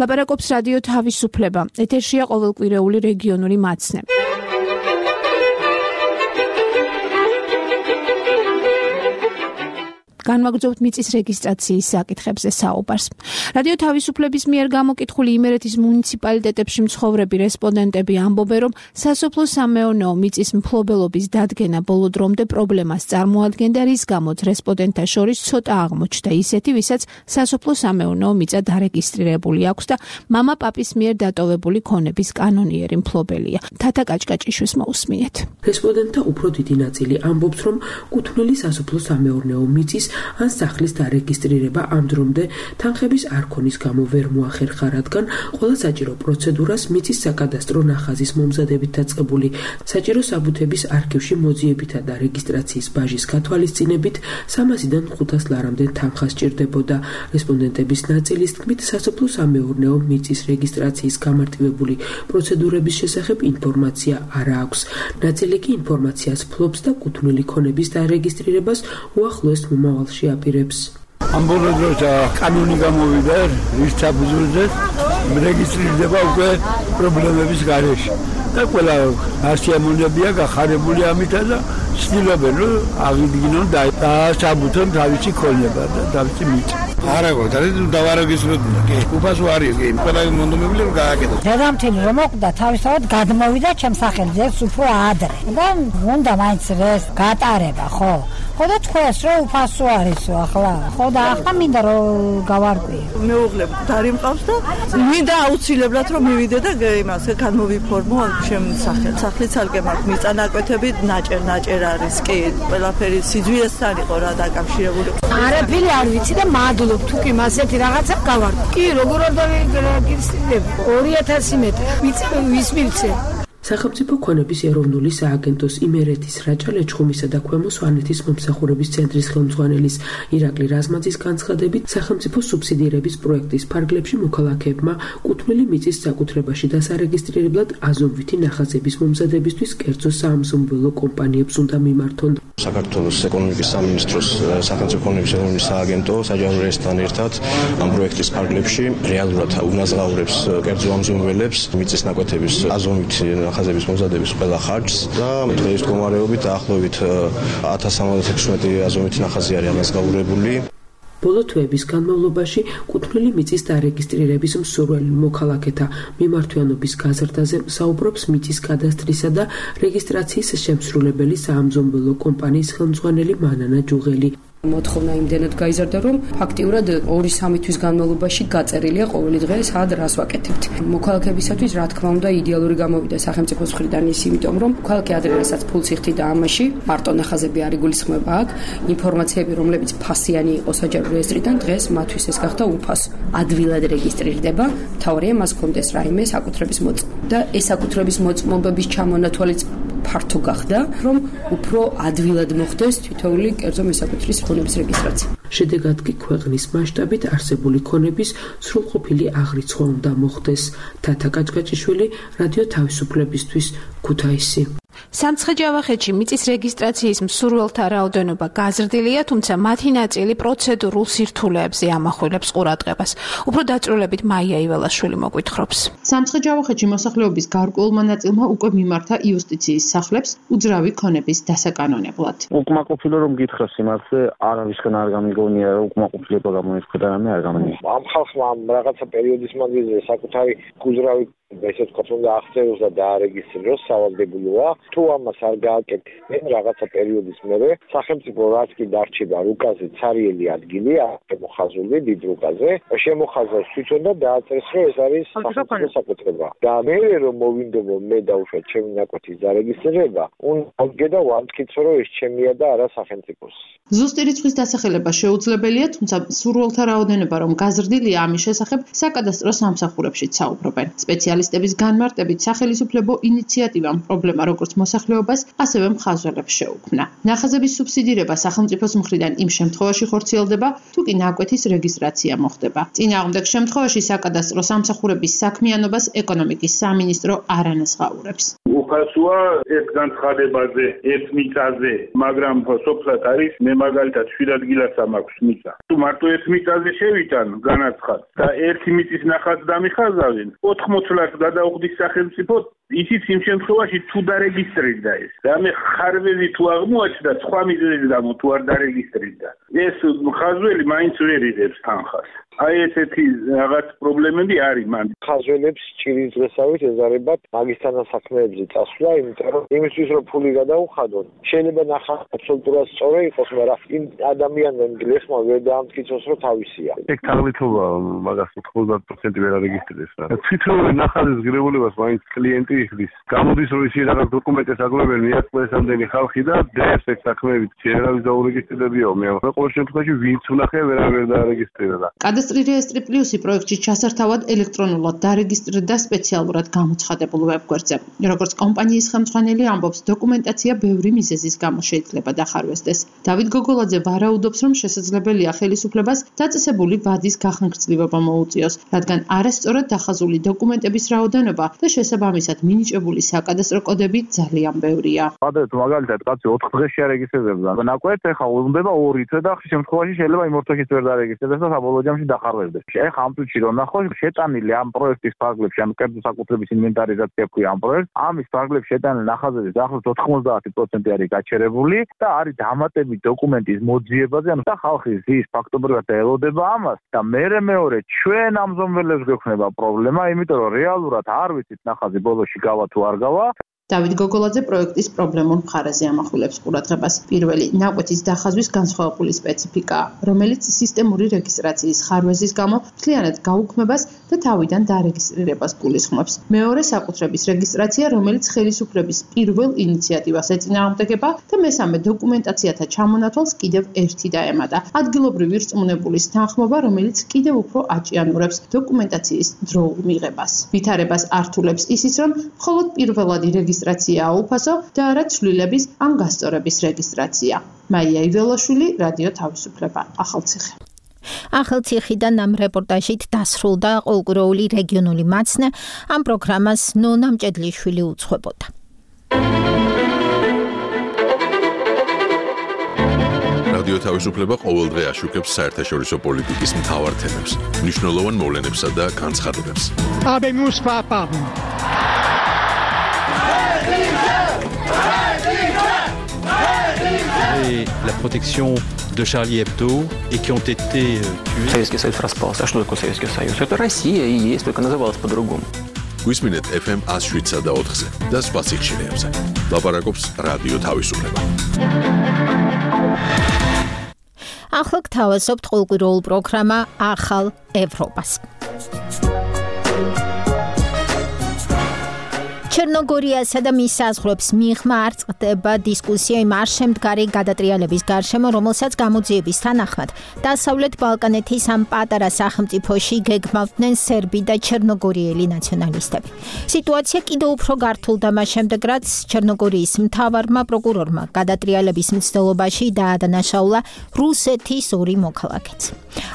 ლაპარაკობს რადიო თავისუფლება. ეთერშია ყოველკვირეული რეგიონული მაცნე. განვაგრძობთ მიწის რეგისტრაციის საკითხებზე საუბარს. რადიო თავისუფლების მიერ გამოკითხული იმერეთის მუნიციპალიტეტებში მცხოვრები რესპონდენტები ამბობენ, რომ სასოფლო-სამეურნეო მიწის მფლობელობის დადგენა ბოლო დრომდე პრობლემას წარმოადგენდა, რის გამოც რესპონდენტთა შორის ცოტა აღმოჩნდა ისეთი, ვისაც სასოფლო-სამეურნეო მიწა დარეგისტრირებული აქვს და მამა პაპის მიერ დატოვებული ქონების კანონიერი მფლობელია. თათა კაჭკაჭიშვილს მოусმინეთ. რესპონდენტთა უფრო დიდი ნაწილი ამბობს, რომ კუთვნილი სასოფლო-სამეურნეო მიწის ან სახლის დარეგისტრირება ამ დრომდე თანხების არ ქონის გამო ვერ მოახერხა, რადგან ყველა საჭირო პროცედურას მიწის საკადასტრო ნახაზის მომზადებით დაწყებული საჭირო საბუთების არქივში მოძიებითა და რეგისტრაციის ბაჟის გათვალისწინებით 300-დან 500 ლარამდე თანხა სჭირდებოდა. რესპონდენტების ნაწილის თქმით, სასოფლო-სამეურნეო მიწის რეგისტრაციის გამარტივებული პროცედურების შესახებ ინფორმაცია არ აქვს. ნაწილი კი ინფორმაციას ფლობს და კუთვნილი ქონების დარეგისტრირებას უახლოეს მომავალში აპირებს. ამ ბოლო დროს კანონი გამოვიდა, რის საფუძველზე რეგისტრირდება უკვე პრობლემების გარეშე. და ყველა ასიამონებია გახარებული ამითა და ცდილობენ რომ აღიდგინონ და საბუთონ თავისი ქონება და თავისი მიწა. არა გქონდა დავარეგისტრიროთ კი უფასო არის კი ყველა მონდომებული რომ გააკეთოს. დედამთილი რომ მოკვდა თავისთავად გადმოვიდა ჩემს სახელზე უფრო ადრე და უნდა მაინც ეს გატარება ხო? ხო და თქვენს რომ უფასო არისო ახლა ხო და ახლა მინდა რომ გავარკვიო. მეუღლე დარი მყავს და მინდა აუცილებლად რომ მივიდე და იმას გადმოვიფორმო ჩემ სახელს. სახლის ალგე მაქვს მიწა ნაკვეთები ნაჭერ არის კი ყველაფერი სიძვიესთან იყო რა დაკავშირებული. არაფერი არ ვიცი და მადლობ თუ კი მასეთი რაღაცა გავარკვიო. კი როგორ არ დაგირსინებ 2000 მეტრი ვის მივცე. სახელმწიფო ქონების ეროვნული სააგენტოს იმერეთის რაჭა ლეჩხუმისა და ქვემო სვანეთის მომსახურების ცენტრის ხელმძღვანელის ირაკლი რაზმაძის განცხადებით, სახელმწიფო სუბსიდირების პროექტის ფარგლებში მოქალაქეებმა კუთვნილი მიწის საკუთრებაში დასარეგისტრირებლად აზომვითი ნახაზების მომზადებისთვის კერძო საამზომველო კომპანიებს უნდა მიმართონ. საქართველოს ეკონომიკის სამინისტროს სახელმწიფო ქონების ეროვნული სააგენტო საჯარო რეესტრთან ერთად ამ პროექტის ფარგლებში რეალურად უნაზღაურებს კერძო ამზომველებს მიწის ნაკვეთების აზომვითი ნახაზების მომზადების ყველა ხარჯს და დღეს მდგომარეობით დაახლოებით 1076 აზომვითი ნახაზი არის ანაზღაურებული. ბოლო თვეების განმავლობაში კუთვნილი მიწის დარეგისტრირების მსურველი მოქალაქეთა მიმართვიანობის გაზრდაზე საუბრობს მიწის კადასტრისა და რეგისტრაციის შემსრულებელი საამზომველო კომპანიის ხელმძღვანელი მანანა ჯუღელი. მოთხოვნა იმდენად გაიზარდა, რომ ფაქტიურად 2-3 თვის განმავლობაში გაწერილია ყოველი დღე სად რას ვაკეთებთ. მოქალაქეებისათვის რა თქმა უნდა იდეალური გამოვიდა სახელმწიფოს მხრიდან ის, იმიტომ რომ მოქალაქე ადრე რასაც ფულს იხდიდა ამაში, მარტო ნახაზები არ იგულისხმება აქ, ინფორმაციები, რომლებიც ფასიანი იყო საჯარო რეესტრიდან, დღეს მათთვის ეს გახდა უფასო. ადვილად რეგისტრირდება, მთავარია მას ჰქონდეს რაიმე საკუთრების მოწმობა და ეს საკუთრების მოწმობების ჩამონათვალიც ფართო გახდა, რომ უფრო ადვილად მოხდეს თითოეული კერძო მესაკუთრის ქონების რეგისტრაცია. შედეგად კი ქვეყნის მასშტაბით არსებული ქონების სრულყოფილი აღრიცხვა უნდა მოხდეს. თათა კაჭკაჭიშვილი, რადიო თავისუფლებისთვის, ქუთაისი. სამცხე-ჯავახეთში მიწის რეგისტრაციის მსურველთა რაოდენობა გაზრდილია, თუმცა მათი ნაწილი პროცედურულ სირთულეებზე ამახვილებს ყურადღებას. უფრო დაწვრილებით მაია იველაშვილი მოგვითხრობს. სამცხე-ჯავახეთში მოსახლეობის გარკვეულმა ნაწილმა უკვე მიმართა იუსტიციის სახლებს უძრავი ქონების დასაკანონებლად. უკმაყოფილო რომ გითხრას იმაზე, არავისგან არ გამიგონია რომ უკმაყოფილება გამოიწვია და რამე არ გამიგონია. ამ ხალხმა რაღაცა პერიოდის მანძილზე საკუთარი უძრავი ესე ვთქვათ, უნდა აღწეროს და დაარეგისტრიროს სავალდებულოა. თუ ამას არ გააკეთებენ რაღაცა პერიოდის მერე, სახელმწიფო რაც კი დარჩება რუკაზე ცარიელი ადგილი, შემოხაზული დიდ რუკაზე, შემოხაზავს თვითონ და დააწერს, რომ ეს არის სახელმწიფო საკუთრება. და მე რომ მოვინდომო მე დაუშვათ ჩემი ნაკვეთის დარეგისტრირება, უნდა და ვამტკიცო, რომ ეს ჩემია და არა სახელმწიფოს. ზუსტი რიცხვის დასახელება შეუძლებელია, თუმცა სურვილთა რაოდენობა რომ გაზრდილია, ამის შესახებ საკადასტრო სამსახურებშიც საუბრობენ. სპეციალისტების განმარტებით, სახელმწიფო ინიციატივამ პრობლემა როგორც მოსახლეობას, ასევე მხარდაჭერებს შეუქმნა. ნახაზების სუბსიდირება სახელმწიფოს მხრიდან იმ შემთხვევაში ხორციელდება, თუ კი ნაკვეთის რეგისტრაცია მოხდება. წინააღმდეგ შემთხვევაში საკადასტრო სამსახურების საქმიანობას ეკონომიკის სამინისტრო არ ანაზღაურებს. უფასოა ერთ განცხადებაზე, ერთ მიწაზე, მაგრამ სოფლად არის მე მაგალითად 7 ადგილას მაქვს მიწა. თუ მარტო ერთ მიწაზე შევიტან განაცხად და ერთი მიწის ნახაც დამიხაზავენ, 80 ლარს გადაუხდის სახელმწიფო, ისიც იმ შემთხვევაში თუ დარეგისტრირდა ეს. და მე ხარვეზი თუ აღმოაჩნდა სხვა მიზეზის გამო თუ არ დარეგისტრირდა. ეს ხაზველი მაინც ვერ იღებს თანხას. აი ესეთი რაღაც პრობლემები არის მან. ხაზველებს ჭირის დღესავით ეზარებათ მაგისთან საქმეებზე წასვლა, იმიტომ რომ იმისთვის რომ ფული გადაუხადონ, შეიძლება ნახა აბსოლუტურად სწორი იყოს, მაგრამ იმ ადამიანმა გლეხმა ვერ დაამტკიცოს, რომ თავისია. ეგ თაღლითობა მაგას 90% ვერ არეგისტრირებს რა. თვითონ ნახაზის ღირებულებას მაინც კლიენტი იხდის. გამოდის რომ ისინი რაღაც დოკუმენტებს აგროვებენ, მიაწყვეს ამდენი ხალხი და დღეს ეგ საქმეებით შეერავის დაურეგისტრირებიო. მე ყოველ შემთხვევაში ვინც უნახე ვერ დაარეგისტრირდა. კადასტრი რეესტრი პლუსი პროექტში ჩასართავად ელექტრონულად დარეგისტრირდა სპეციალურად გამოცხადებულ ვებგვერდზე. როგორც კომპანიის ხელმძღვანელი ამბობს, დოკუმენტაცია ბევრი მიზეზის გამო შეიძლება დახარვესდეს. დავით გოგოლაძე ვარაუდობს, რომ შესაძლებელია ხელისუფლებას დაწესებული ვადის გახანგრძლივება მოუწიოს, რადგან არასწორად დახაზული დოკუმენტების რაოდენობა და შესაბამისად მინიჭებული საკადასტრო კოდები ძალიან ბევრია. გადაეთ მაგალითად კაცი 4 დღეში არეგისტრირდება. ნაკვეთ ეხა უნდა 2 თვე და შემთხვევაში შეიძლება იმ 4 დღეში ვერ დარეგისტრირდეს და საბოლოო ჯამში დახარვესდეს. ეხა ამ წუთში რომ ნახოთ შეტანილი ამ პროექტის ფარგლებში, ამ კერძო საკუთრების ინვენტარიზაცია ქვია ამ პროექტს, ამის ფარგლებში შეტანილი ნახაზების ახლოს 90% არის გაჩერებული და არის დამატებით დოკუმენტის მოძიებაზე, ანუ და ხალხი ზის ფაქტობრივად ელოდება ამას და მეორე ჩვენ ამზომველებს გვექნება პრობლემა, იმიტომ რომ რეალურად არ ვიცით ნახაზი ბოლოში გავა თუ არ გავა. დავით გოგოლაძე პროექტის პრობლემურ მხარეზე ამახვილებს ყურადღებას. პირველი, ნაკვეთის დახაზვის განსხვავებული სპეციფიკაა, რომელიც სისტემური რეგისტრაციის ხარვეზის გამო მთლიანად გაუქმებას და თავიდან დარეგისტრირებას გულისხმობს. მეორე, საკუთრების რეგისტრაცია, რომელიც ხელისუფლების პირველ ინიციატივას ეწინააღმდეგება და მესამე, დოკუმენტაციათა ჩამონათვალს კიდევ ერთი დაემატა. ადგილობრივი რწმუნებულის თანხმობა, რომელიც კიდევ უფრო აჭიანურებს დოკუმენტაციის დროულ მიღებას. ვითარებას ართულებს ისიც, რომ მხოლოდ პირველადი რეგისტრაციაა უფასო და არა ცვლილების ან გასწორების რეგისტრაცია. მაია იველაშვილი, რადიო თავისუფლება, ახალციხე. ახალციხიდან ამ რეპორტაჟით დასრულდა ყოველკვირეული რეგიონული მაცნე. ამ პროგრამას ნონა მჭედლიშვილი უძღვებოდა. რადიო თავისუფლება ყოველდღე აშუქებს საერთაშორისო პოლიტიკის მთავარ თემებს, მნიშვნელოვან მოვლენებსა და განცხადებებს. Et la protection de Charlie Hebdo et qui ont été tués. Советский Союз распался. А что такое Советский Союз? Это Россия и есть, только называлась по-другому. Გვისმინეთ FM 107 და 4-ზე და სხვა სიხშირეებზე. ლაპარაკობს რადიო თავისუფლება. ახლა გთავაზობთ ყოველკვირეულ პროგრამა ახალ ევროპას. ჩერნოგორიასა და მის საზღვრებს მიღმა არ წყდება დისკუსია იმ არშემდგარი გადატრიალების გარშემო, რომელსაც გამოძიების თანახმად დასავლეთ ბალკანეთის ამ პატარა სახელმწიფოში გეგმავდნენ სერბი და ჩერნოგორიელი ნაციონალისტები. სიტუაცია კიდევ უფრო გართულდა მას შემდეგ, რაც ჩერნოგორიის მთავარმა პროკურორმა გადატრიალების მცდელობაში დაადანაშაულა რუსეთის 2 მოქალაქეც.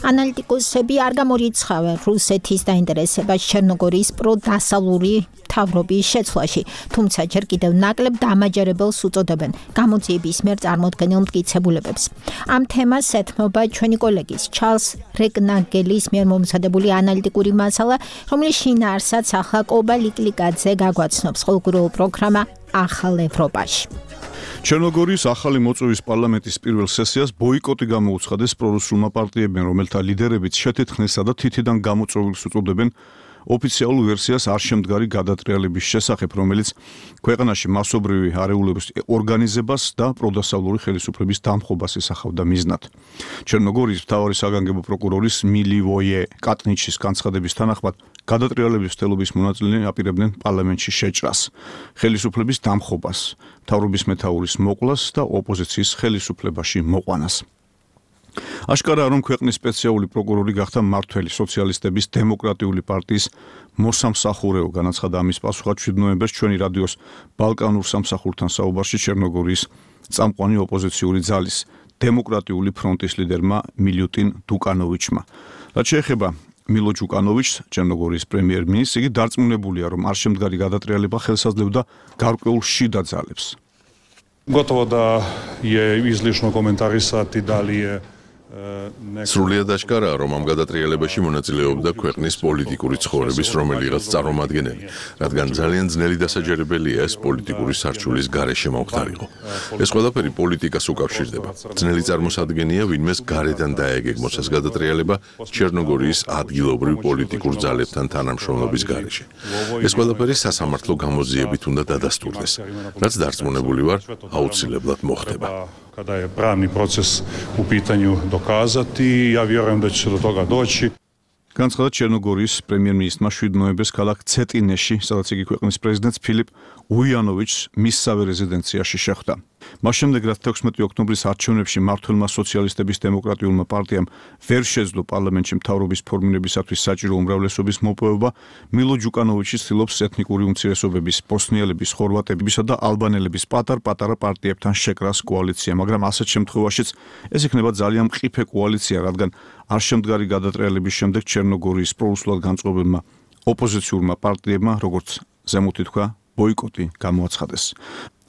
ანალიტიკოსები არ გამორიცხავენ რუსეთის დაინტერესებას ჩერნოგორიის პროდასავლური მთავრობის შეცვლაში, თუმცა ჯერ კიდევ ნაკლებ დამაჯერებელს უწოდებენ გამოძიების მიერ წარმოდგენილ მტკიცებულებებს. ამ თემას ეთმობა ჩვენი კოლეგის ჩარლს რეკნაგელის მიერ მომზადებული ანალიტიკური მასალა, რომლის შინაარსაც ახლა კობა ლიკლიკაძე გაგვაცნობს ყოველკვირეულ პროგრამა ახალ ევროპაში. ჩერნოგორიის ახალი მოწვევის პარლამენტის პირველ სესიას ბოიკოტი გამოუცხადეს პრორუსულმა პარტიებმა, რომელთა ლიდერებიც შეთეთხნესა და თითიდან გამოწვევილს უწოდებენ ოფიციალურ ვერსიას არ შემდგარი გადატრიალების შესახებ, რომელიც ქვეყანაში მასობრივი არეულობის ორგანიზებას და პროდასავლური ხელისუფლების დამხობას ისახავდა მიზნად. ჩერნოგორიის მთავარი საგანგებო პროკურორის მილივოიე კატნიჩის განცხადების თანახმად გადატრიალების მცდელობის მონაწილეები აპირებდნენ პარლამენტში შეჭრას, ხელისუფლების დამხობას, მთავრობის მეთაურის მოკვლას და ოპოზიციის ხელისუფლებაში მოყვანას. აშკარაა, რომ ქვეყნის სპეციალური პროკურორი გახდა მმართველი სოციალისტების დემოკრატიული პარტიის მოსამსახურეო, განაცხადა ამის პასუხად 7 ნოემბერს ჩვენი რადიოს ბალკანურ სამსახურთან საუბარში ჩერნოგორიის წამყვანი ოპოზიციური ძალის დემოკრატიული ფრონტის ლიდერმა მილუტინ დუკანოვიჩმა. რაც შეეხება მილო ჯუკანოვიჩს, ჩერნოგორიის პრემიერ-მინისტრს, იგი დარწმუნებულია, რომ არ შემდგარი გადატრიალება ხელსაძლევდა გარკვეულ შიდა ძალებს. Gotovo da je izlišno komentarisati da li je სრულიად აშკარაა, რომ ამ გადატრიალებაში მონაწილეობდა ქვეყნის პოლიტიკური ცხოვრების რომელიღაც წარმომადგენელი, რადგან ძალიან ძნელი დასაჯერებელია ეს პოლიტიკური სარჩულის გარეშე მომხდარიყო. ეს ყველაფერი პოლიტიკას უკავშირდება. ძნელი წარმოსადგენია ვინმეს გარედან დაეგეგმოს ეს გადატრიალება ჩერნოგორიის ადგილობრივ პოლიტიკურ ძალებთან თანამშრომლობის გარეშე. ეს ყველაფერი სასამართლო გამოძიებით უნდა დადასტურდეს, რაც დარწმუნებული ვარ, აუცილებლად მოხდება. Kada je pravni proces u pitanju dokazati, ja vjerujem da će se do toga doći. განცხადა ჩერნოგორიის პრემიერ-მინისტრმა 7 ნოემბერს ქალაქ ცეტინეში, სადაც იგი ქვეყნის პრეზიდენტს ფილიპ უიანოვიჩს მისსავე რეზიდენციაში შეხვდა. მას შემდეგ, რაც 16 ოქტომბრის არჩევნებში მმართველმა სოციალისტების დემოკრატიულმა პარტიამ ვერ შეძლო პარლამენტში მთავრობის ფორმირებისათვის საჭირო უმრავლესობის მოპოვება, მილო ჯუკანოვიჩი ცდილობს ეთნიკური უმცირესობების, ბოსნიელების, ხორვატებისა და ალბანელების პატარ-პატარა პარტიებთან შეკრას კოალიცია, მაგრამ ასეთ შემთხვევაშიც ეს იქნება ძალიან მყიფე კოალიცია, რადგან არ შემდგარი გადატრიალების შემდეგ ჩერნოგორიის პრორუსულად განწყობილმა ოპოზიციურმა პარტიებმა, როგორც ზემოთი თქვა, ბოიკოტი გამოაცხადეს.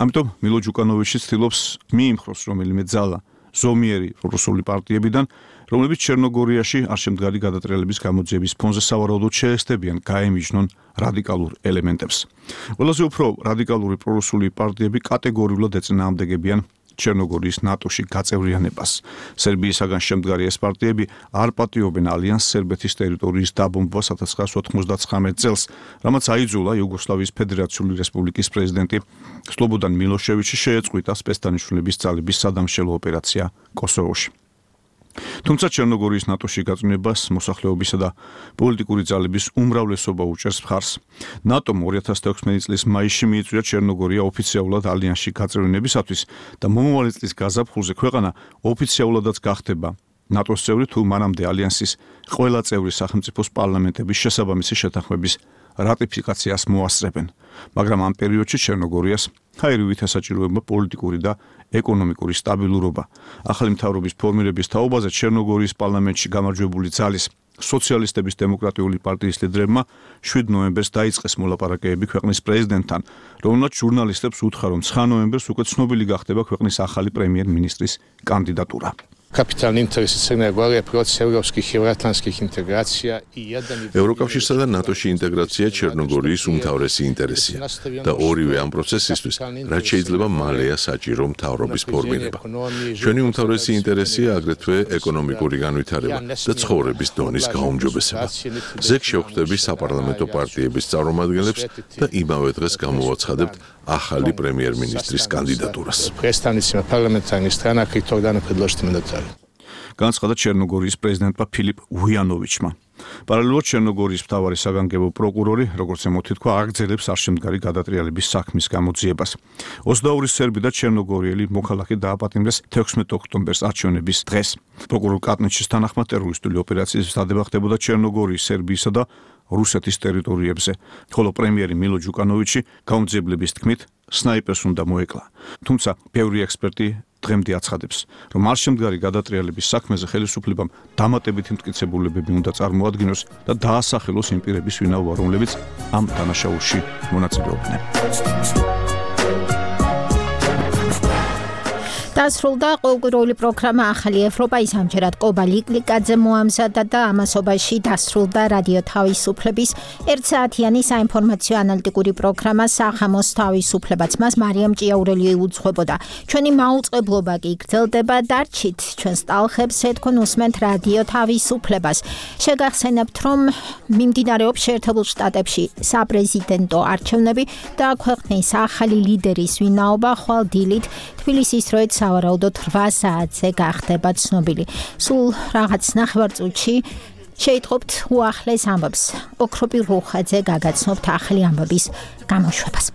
ამიტომ მილო ჯუკანოვიჩი ცდილობს მიიმხროს რომელიმე ძალა ზომიერი პრორუსული პარტიებიდან, რომლებიც ჩერნოგორიაში არ შემდგარი გადატრიალების გამოძიების ფონზე სავარაუდოდ შეესწებიან გაემიჯნონ რადიკალურ ელემენტებს. ყველაზე უფრო რადიკალური პრორუსული პარტიები კატეგორიულად ეწინააღმდეგებიან ჩერნოგორიის ნატოში გაწევრიანებას. სერბიისაგან შემდგარი ეს პარტიები არ პატიობენ ალიანს სერბეთის ტერიტორიის დაბომბვას 1999 წელს, რამაც აიძულა იუგოსლავიის ფედერაციული რესპუბლიკის პრეზიდენტი სლობოდან მილოშევიჩი შეეწყვიტა სპეცდანიშნულების ძალების სადამშელო ოპერაცია კოსოვოში. თუმცა ჩერნოგორიის ნატოში გაწვევებას მოსახლეობისა და პოლიტიკური ძალების უმრავლესობა უჭერს მხარს. ნატომ 2016 წლის მაისში მიიწვია ჩერნოგორია ოფიციალურად ალიანსში გაწევრიანებისათვის და მომავალი წლის გაზაფხულზე ქვეყანა ოფიციალურადაც გახდება ნატოს წევრი, თუ მანამდე ალიანსის ყველა წევრი სახელმწიფოს პარლამენტების შესაბამისი შეთანხმების რატიფიკაციას მოასწრებენ. მაგრამ ამ პერიოდში ჩერნოგორიას ხაირივით ესაჭიროება პოლიტიკური და ეკონომიკური სტაბილურობა. ახალი მთავრობის ფორმირების თაობაზე ჩერნოგორიის პარლამენტში გამარჯვებული ძალის სოციალისტების დემოკრატიული პარტიის ლიდერებმა 7 ნოემბერს დაიწყეს მოლაპარაკებები ქვეყნის პრეზიდენტთან, რომელმაც ჟურნალისტებს უთხრა, რომ 9 ნოემბერს უკვე ცნობილი გახდება ქვეყნის ახალი პრემიერ-მინისტრის კანდიდატურა. Kapitalni interes Crne Gore je proces europskih i euroatlantskih integracija i jedan ევროკავშირსა და ნატოში ინტეგრაცია ჩერნოგორიის უმთავრესი ინტერესია და ორივე ამ პროცესისთვის რაც შეიძლება მალეა საჭირო მთავრობის ფორმირება. ჩვენი უმთავრესი ინტერესია აგრეთვე ეკონომიკური განვითარება და ცხოვრების დონის გაუმჯობესება. ზეგ შევხვდები საპარლამენტო პარტიების წარმომადგენლებს და იმავე დღეს გამოვაცხადებთ ახალი პრემიერ-მინისტრის კანდიდატურას. predstavnicima parlamentarnih stranaka i tog dana predložiti mandatare. განაცხადა ჩერნოგორიის პრეზიდენტმა ფილიპ უიანოვიჩმა. პარალელურად ჩერნოგორიის მთავარი საგანგებო პროკურორი, როგორც ემოთი თქვა, აგრძელებს არ შემდგარი გადატრიალების საქმის გამოძიებას. 22 სერბი და ჩერნოგორიელი მოქალაქე დააპატიმრეს 16 ოქტომბერს არჩევნების დღეს. პროკურორ კატნიჩის თანახმად ტერორისტული ოპერაციის დადება ხდებოდა ჩერნოგორიის, სერბიისა და რუსეთის ტერიტორიებზე, ხოლო პრემიერი მილო ჯუკანოვიჩი გამოძიებლების თქმით სნაიპერს უნდა მოეკლა. თუმცა ბევრი ექსპერტი დღემდე აცხადებს, რომ არ შემდგარი გადატრიალების საქმეზე ხელისუფლებამ დამატებითი მტკიცებულებები უნდა წარმოადგინოს და დაასახელოს იმ პირების ვინაობა, რომლებიც ამ დანაშაულში მონაწილეობდნენ. დასრულდა ყოველკვირეული პროგრამა ახალი ევროპა ის ამჯერად კობა ლიკლიკაძე მოამზადა და ამასობაში დასრულდა რადიო თავისუფლების 1 საათიანი საინფორმაციო ანალიტიკური პროგრამა სახამოს თავისუფლებაც მას მარიამ ჭიაურელი უძღვებოდა ჩვენი მაუწყებლობა კი გრძელდება დარჩით ჩვენს ტალხებს ეთქონ უსმენთ რადიო თავისუფლებას შეგახსენებთ რომ მიმდინარეობს შეერთებულ შტატებში საპრეზიდენტო არჩევნები და ქვეყნის ახალი ლიდერის ვინაობა ხვალ დილით თბილისის დროით სავარაუდოდ 8 საათზე გახდება ცნობილი. სულ რაღაც ნახევარწუთში შეიტყობთ უახლეს ამბებს. ოქროპი რუხაძე გაგაცნობთ ახალი ამბების გამოშვებას.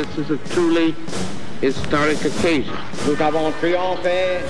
This is a truly historic occasion. Nous avons triomphé